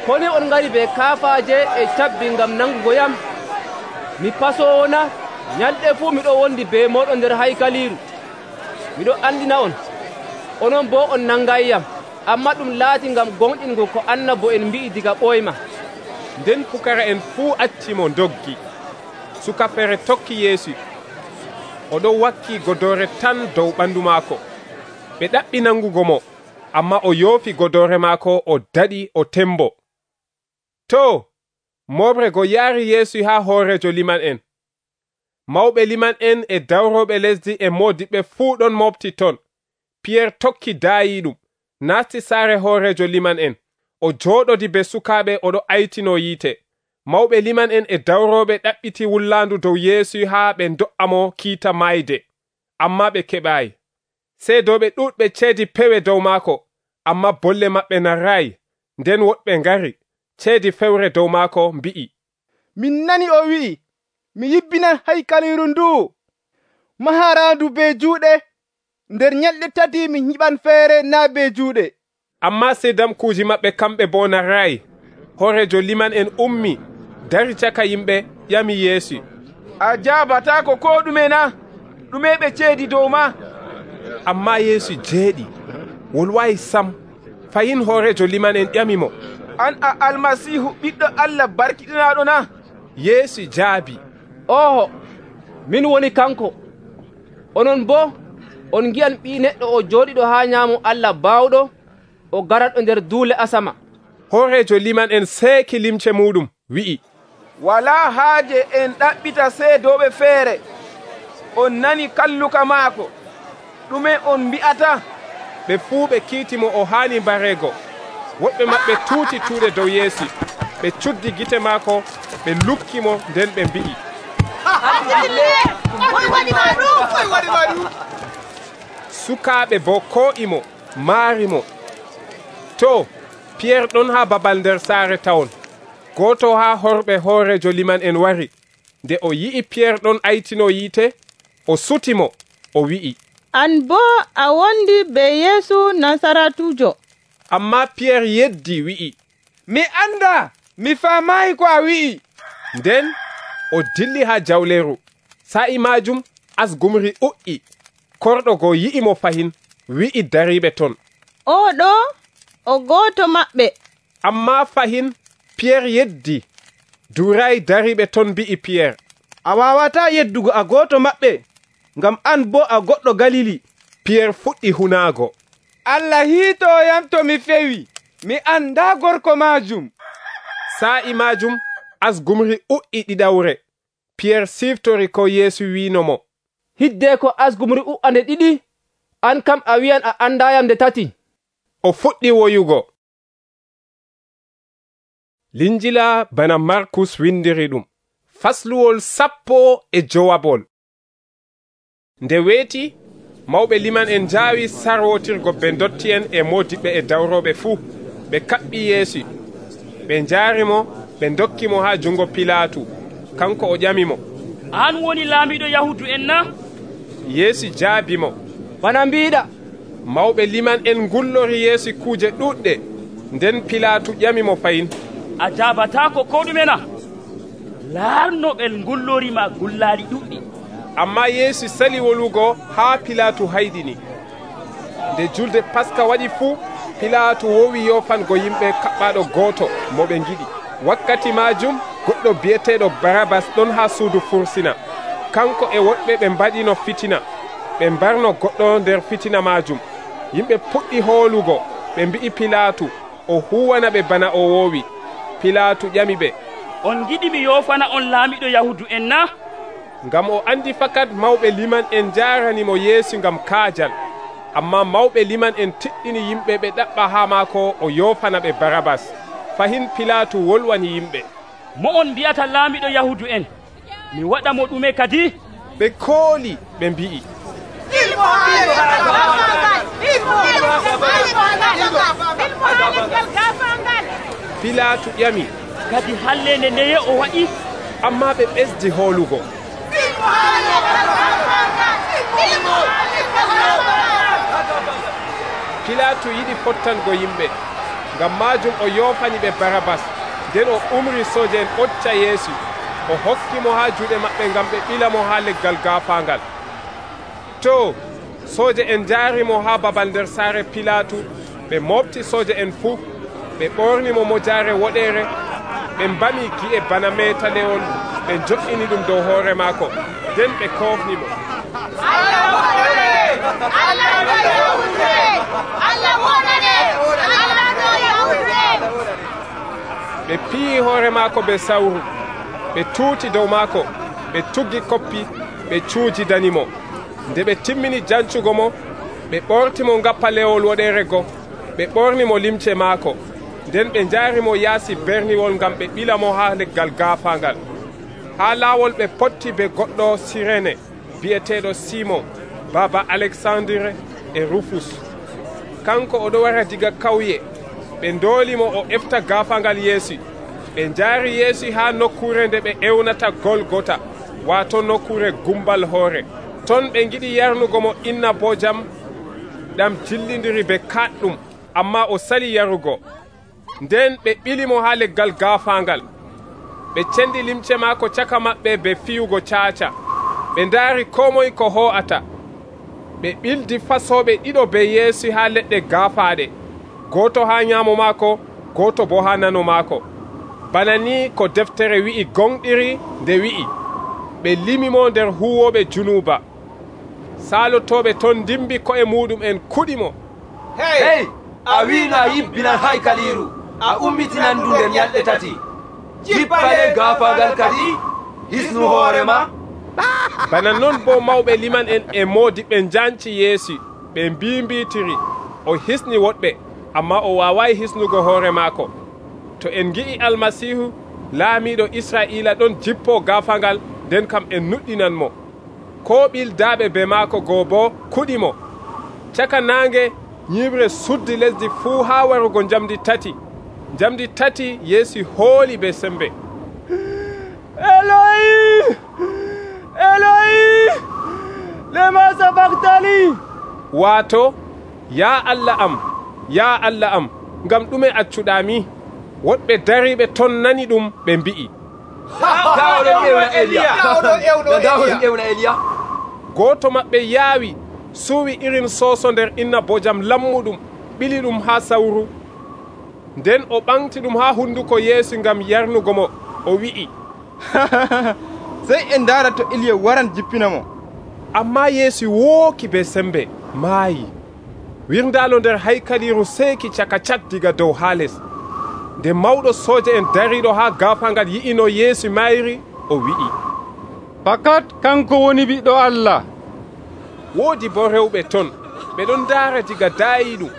koni on ngari be kaafaje e cabbi ngam nangugoyam? Mi pasowona, nyalɗe fuu miɗo wondi be moɗon nder haykaliru. Miɗo andina on, onon bo on nangayyam, amma ɗum laati ngam gonɗingo ko annabo en mbi'i diga ɓoyma. Nden pukara'en fuu accimo doggi. Suka fere tokki Yeesu. Oɗo wakki godore tan dow ɓandu maako. Ɓe ɗaɓɓi nangugo mo, amma o yoofi godore maako, o daɗi, o tembo. To, moɓre go yaari Yeesu ha hoorejo liman en. Mawɓe liman en e dawroɓe lesdi e modiɓɓe fuu ɗon mofti ton. Piyer tokki daayiɗum naasti saare hoorejo liman en o jooɗodi be sukaaɓe oɗo aytino yiite. Mawɓe liman en e dawrooɓe ɗaɓɓiti wullaandu dow Yeesu haa ɓe do'amo kiita mayde, ammaa ɓe keɓaayi. Seedooɓe ɗuuɗɓe ceedi pewe dow maako, ammaa bolle maɓɓe narraayi. Nden woɗɓe ngari ceedi fewre dow maako mbi'i, min nani o wi'i, mi yibbinan haykaliru ndu maharandu be juuɗe, nder nyalɗe tati mi nyiɓan feere naa be juuɗe. Ammaa seedamkuuji maɓɓe kamɓe boo narraayi. Hoorejo liman en ummi dari caka yimɓe ƴami Yeesu, a jaabataako ko ɗume na? ɗume ɓe ceedi dow ma? Ammaa Yeesu jeeɗi wolwayi sam. Fayin hoorejo liman en ƴamimo, an a almasiihu ɓiɗɗo Allah barkiɗinaaɗo na? Yeesu jaabi, oho, min woni kanko. Onon boo on ngi'an Ɓii Neɗɗo o jooɗiɗo haa nyaamo Allah baawɗo o garaɗo nder duule asama. Hoorejo liman en seeki limce muɗum wi'i, walaa haaje en ɗaɓɓita seedooɓe feere. On nani kalluka maako, ɗume on mbi'ata? Ɓe fuu ɓe kiitimo o haani mbareego. Woɓɓe maɓɓe tuuti tuuɗe dow Yeesu, ɓe cuddi gite maako, ɓe lukkimo, nden ɓe mbi'i, sukaaɓe bo koo'imo maarimo. To Piyer ɗon haa babal nder saare tawon. Gooto haa horɓe hoorejo liman en wari. Nde o yi'i Piyer ɗon aytino yiite, o sutimo, o wi'i, an boo a wondi be Yeesu Nasaratujo. Ammaa Piyer yeddi wi'i, mi anda, mi faamaayi ko a wi'i. Nden o dilli haa jawleeru. Sa'i maajum asgumri u'i. Korɗo go yi'imo fahin, wi'i dariiɓe ton, oɗo o gooto maɓɓe. Ammaa fahin Piyer yeddi duray dariiɓe ton mbi'i Piyer, a waawataa yeddugo a gooto maɓɓe, ngam an boo a goɗɗo Galili. Piyer fuɗɗi hunaago, Allah hiitooyam to mi fewi, mi andaa gorko maajum. Sa'i maajum asgumri u'i ɗiɗawre. Piyer siftori ko Yeesu wiinomo, hidde ko asgumri u'ande ɗiɗi, an kam a wi'an a andayam nde tati. O fuɗɗi woyugo. Linjila bana Markus windiri ɗum, fasluwol 15. Nde weeti, mawɓe liman en jaawi sarwotirgo ɓe dotti en e modiɓɓe e dawroɓe fuu. Ɓe kaɓɓi Yeesu, ɓe njaarimo, ɓe dokkimo haa jungo Pilaatu. Kanko o ƴamimo, an woni laamiɗo Yahudu en na? Yeesu jaabimo, bana mbiɗa. Mawɓe liman en ngullori Yeesu kuuje ɗuɗɗe. Nden Pilaatu ƴamimo fayin, a jaabataako ko ɗume na? laarno ɓe ngullorima gullaali ɗuɗɗi. Ammaa Yeesu sali wolugo haa Pilaatu hayɗini. Nde julde Paska waɗi fuu, Pilaatu wowi yofango yimɓe kaɓɓaɗo gooto mo ɓe ngiɗi. Wakkati maajum goɗɗo bi'eteeɗo Barabas ɗon haa suudu fursina. Kanko e woɗɓe ɓe mbaɗino fitina, ɓe mbarno goɗɗo nder fitina maajum. Yimɓe puɗɗi hoolugo, ɓe mbi'i Pilaatu o huwana ɓe bana o woowi. Pilaatu ƴami ɓe, on giɗi mi yofana on laamiɗo Yahudu en na? Ngam o andi fakat mawɓe liman en jaaranimo Yeesu ngam kaajal. Ammaa mawɓe liman en tiɗɗini yimɓe ɓe ɗaɓɓa haa maako o yofana ɓe Barabas. Fahin Pilaatu wolwani yimɓe, mo on mbi'ata laamiɗo Yahudu en? Mi waɗa mo ɗume kadi? Ɓe kooli ɓe mbi'i, Pilaatu ƴami, kadi hallende ndeye o waɗi? Ammaa ɓe ɓesdi hoolugo. Pilaatu yiɗi fottango yimɓe, ngam maajum o yoofani ɓe Barabas. Nden o umri sooje en ɓocca Yeesu, o hokkimo haa juuɗe maɓɓe ngam ɓe ɓilamo haa leggal gaafaangal. To sooje en njaarimo haa babal nder saare Pilaatu, ɓe mofti sooje en fuu, ɓe ɓornimo mojaare woɗeere, ɓe mbami gi'e bana meetalewol, ɓe jo'ini ɗum dow hoore maako, nden ɓe koofnimo. Ɓe piyi hoore maako be sawru, ɓe tuuti dow maako, ɓe tuggi koppi, ɓe cuujidanimo. Nde ɓe timmini jancugo mo, ɓe ɓortimo ngappa lewol woɗere go, ɓe ɓornimo limce maako, nden ɓe njaarimo yaasi berniwol ngam ɓe ɓilamo ha leggal gaafangal. Ha laawol ɓe potti be goɗɗo Sirene bi'eteeɗo Simon, baba Alexandre e Rufus. Kanko oɗo wara diga kawye. Ɓe ndoolimo o efta gaafangal Yeesu. Ɓe njaari Yeesu ha nokkure nde ɓe ewnata Golgota, waato nokkure gumbal hoore. Ton ɓe ngiɗi yarnugo mo innabojam ɗam jillindiri be kaɗɗum, amma o sali yarugo. Nden ɓe ɓilimo ha leggal gaafangal. Ɓe cendi limce maako caka maɓɓe be fiyugo caaca. Ɓe ndaari ko moye ko ho'ata. Ɓe ɓildi fasoɓe ɗiɗo be Yeesu ha leɗɗe gaafaaɗe, gooto ha nyaamo maako, gooto bo ha nano maako. Bana ni ko deftere wi'i gonɗiri nde wi'i, ɓe limimo nder huwoɓe junuba. Saalotoɓe ton dimbi ko'e muɗum en kuɗimo. Hey, a wiino a yibbinan haykaliru, a ummitinan ndu nder ñalɗe tati. Jippale gaafangal kadi, hisnu hoorema. Bana non bo mawɓe liman en e moodiɓɓe njanci Yeesu, ɓe mbimbitiri. O hisni woɗɓe, amma o waawayi hisnugo hoore maako. To en ngi'i Almasihu, laamiiɗo Israa'ila ɗon jippo gaafangal, nden kam en nuɗɗinanmo. Ko ɓildaaɓe be maako goo bo kuɗimo. Caka naange ñiɓre suddi lesdi fuu haa warugo njamdi tati. Njamdi tati Yeesu hooli be sembe. Eloi, Eloi, lema sabaktani. Waato, ya Allah am, ngam ɗume accuɗami? Woɗɓe dariɓe ton nani ɗum ɓe mbi'i. Gooto maɓɓe yaawi suuwi irin soso nder innabojam lammuɗum, ɓili ɗum ha sawru. Nden o ɓamti ɗum ha hunduko Yeesu ngam yarnugo mo. O wi'i, sey en ndaara to Iliya waran jippina mo. Amma Yeesu wooki be sembe, maayi. Wirndaalo nder haykaliru seeki caka cat diga dow ha les. Nde mawɗo sooja en dariɗo ha gaafangal yi'ino Yeesu mayri, o wi'i, fakat kanko woni Ɓiɗɗo Allah. Woodi bo rewɓe ton, ɓe ɗon ndaara diga daayiɗum.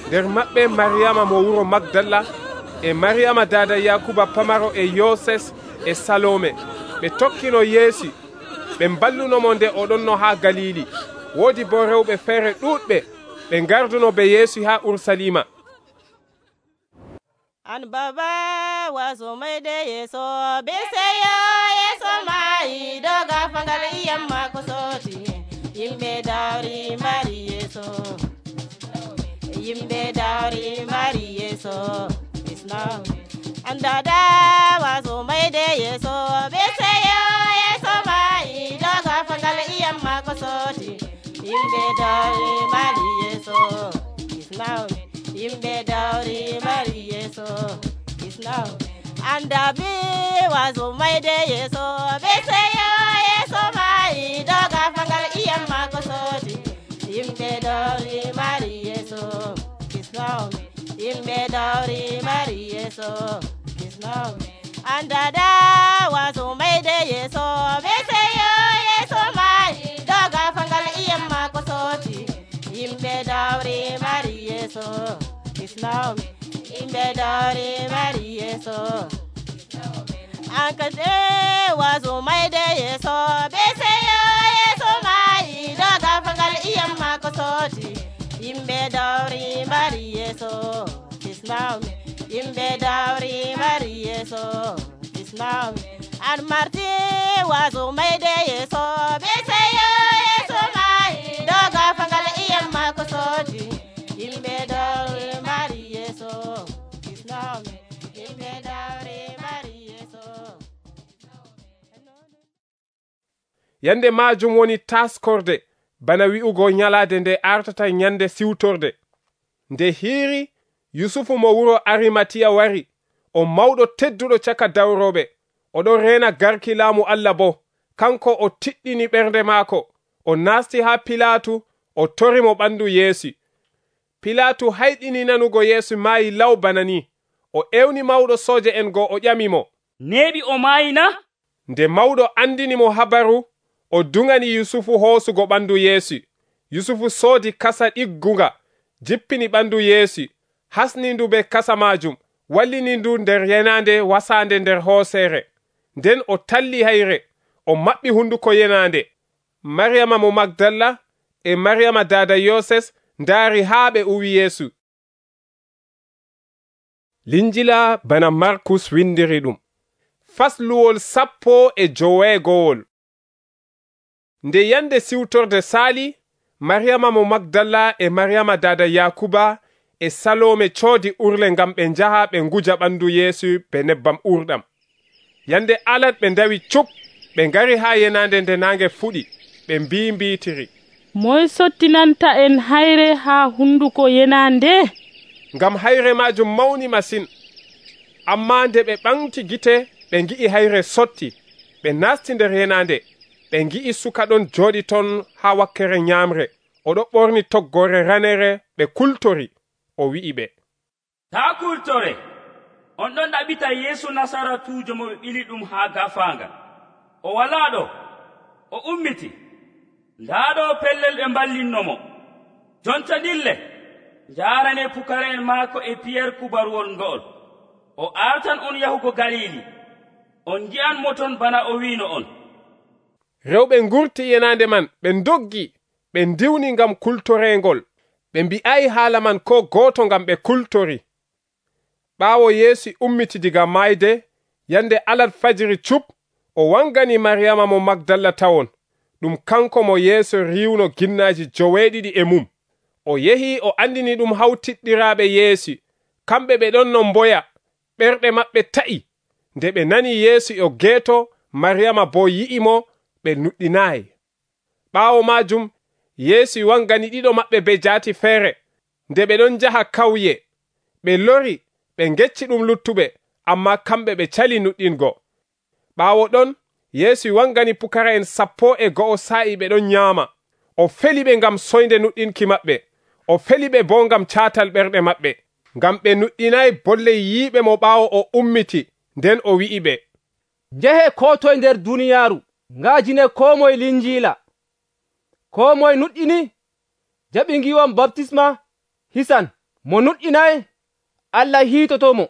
Nder maɓɓe Mariyama mo wuro Magdala, e Mariyama dada Yakuba pamaro e Yoses e Salome. Ɓe tokkino Yeesu, ɓe mballunomo nde oɗonno ha Galili. Woodi bo rewɓe feere ɗuuɗɓe, ɓe ngarduno be Yeesu ha Ursalima. An baba waso maide Yeso beseyo Yeso mai doga fangal iyamma ko soti yimɓe dawri mari Yeso yimɓe dawri mari Yeso isna an dada waso maide Yeso beseyo Yeso mai doga fangal iyamma ko soti yimɓe dawri mari Yeso isna yimɓe dawri mari Yeso isna anda bi wazo mayde Yeso be seyo Yeso mai doga fangal iyamma ko soti yimɓe dawri mari Yeso isna yimɓe dawri mari Yeso isna anda da wazo mayde Yeso be seyo Yeso mai doga fangal iyamma ko soti yimɓe dawri mari Yeso isna yimɓe dawri mari Yeso ankate wazo mayde Yeso be seyo Yeso mai doga fangal iyamma ko soti yimɓe dawri mari Yeso isna yimɓe dawri mari Yeso isna an marti wazo mayde Yeso be seyo Yeso mai doga fangal iyamma ko soti yimɓe dawri mari Yeso isna yimɓe dawri mari Yeso. Yande majum woni taskorde, bana wi'ugo nyalade nde artata nyande siwtorde. Nde hiiri, Yusufu mo wuro Arimatiya wari, o mawɗo tedduɗo caka dawroɓe. Oɗo rena garki laamu Allah bo, kanko o tiɗɗini ɓernde maako. O nasti ha Pilatu, o torimo ɓandu Yeesu. Pilatu hayɗini nanugo Yeesu maayi law bana ni. O ewni mawɗo sooje en go o ƴamimo, neeɓi o maayina? Nde mawɗo andini mo habaru, o dungani Yusufu hoosugo ɓandu Yeesu. Yusufu soodi kasa ɗiggunga, jippini ɓandu Yeesu, hasni ndu be kasa majum, wallini ndu nder yenande wasande nder hooseere. Nden o talli hayre, o maɓɓi hunduko yenande. Maryama mo Magdala e Maryama dada Yoses ndaari haa ɓe uwi Yeesu. Linjila bana Markus windiri ɗum. Fasluwol 15. Nde yande siwtorde saali, Maryama mo Magdala e Maryama dada Yakuba e Salome coodi urle ngam ɓe njaha ɓe nguja ɓandu Yeesu be nebbam urɗam. Yande alat ɓe ndawi cuk, ɓe ngari haa yenande nde nange fuɗi, ɓe mbiitiri. Moy sottinanta en hayre haa hunduko yenande? Ngam hayre majum mawni masin. Amma nde ɓe ɓamti gite, ɓe ngi'i hayre sotti, ɓe nasti nder yenande, ɓe ngi'i suka ɗon jooɗi ton haa wakkere nyamre, oɗo ɓorni toggore ranere, ɓe kultori. O wi'i ɓe, taa kultore, on ɗon ɗaɓita Yeesu Nasaratuujo mo ɓe ɓili ɗum haa gafanga. O walaa ɗo, o ummiti. Ndaa ɗo pellel ɓe mballinnomo. Jonta dille, njaarane pukara'en maako e Piyer kubaruwol ngo'ol. O artan on yahugo Galili. On ngi'an mo ton bana o wiino on. Rewɓe ngurti yenande man, ɓe ndoggi, ɓe ndiwni ngam kultorengol. Ɓe mbi'ayi haala man ko gooto ngam ɓe kultori. Ɓaawo Yeesu ummiti diga mayde, yande alat fajiri cup, o wangani Maryama mo Magdala tawon. Ɗum kanko mo Yeesu riwno ginnaji 9 e mum. O yehi o andini ɗum hawtiɗɗiraaɓe Yeesu. Kamɓe ɓe ɗon no mboya, ɓerɗe maɓɓe ta'i. Nde ɓe nani Yeesu o geeto, Maryama bo yi'imo, ɓe nuɗɗinaayi. Ɓaawo majum, Yeesu wangani ɗiɗo maɓɓe be jaati feere. Nde ɓe ɗon jaha kawye, ɓe lori, ɓe ngecci ɗum luttuɓe, amma kamɓe ɓe cali nuɗɗingo. Ɓaawo ɗon, Yeesu wangani pukara'en 12 sa'i ɓe ɗon nyaama. O feli ɓe ngam soynde nuɗɗinki maɓɓe. O feli ɓe bo ngam caatal ɓerɗe maɓɓe, ngam ɓe nuɗɗinayi bolle yiiɓe mo ɓaawo o ummiti. Nden o wi'i ɓe, njehe ko toye nder duniyaaru, ngaajine ko moye linjiila. Ko moye nuɗɗini, jaɓi ngiwon baptisma, hisan. Mo nuɗɗinayi, Allah hiitotomo.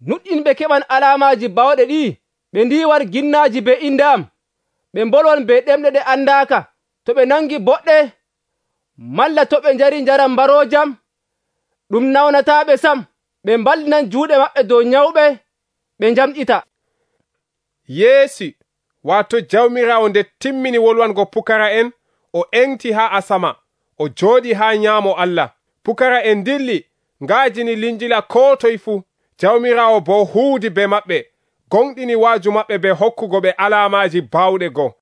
Nuɗɗinɓe keɓan alaamaaji bawɗe ɗi, ɓe ndiwar ginnaaji be inde am, ɓe mbolwon be ɗemɗe ɗe andaaka, to ɓe nangi boɗɗe, malla to ɓe njari njaram mbaroojam, ɗum nawnataaɓe sam. Ɓe mballinan juuɗe maɓɓe dow nyawɓe, ɓe njamɗita. Yeesu, waato Jawmiraawo nde timmini wolwango pukara'en, o engti haa asama, o jooɗi haa nyaamo Allah. Pukara'en dilli, ngaajini linjila ko toye fuu. Jawmiraawo bo huudi be maɓɓe, gonɗini waaju maɓɓe be hokkugo ɓe alaamaaji baawɗe go.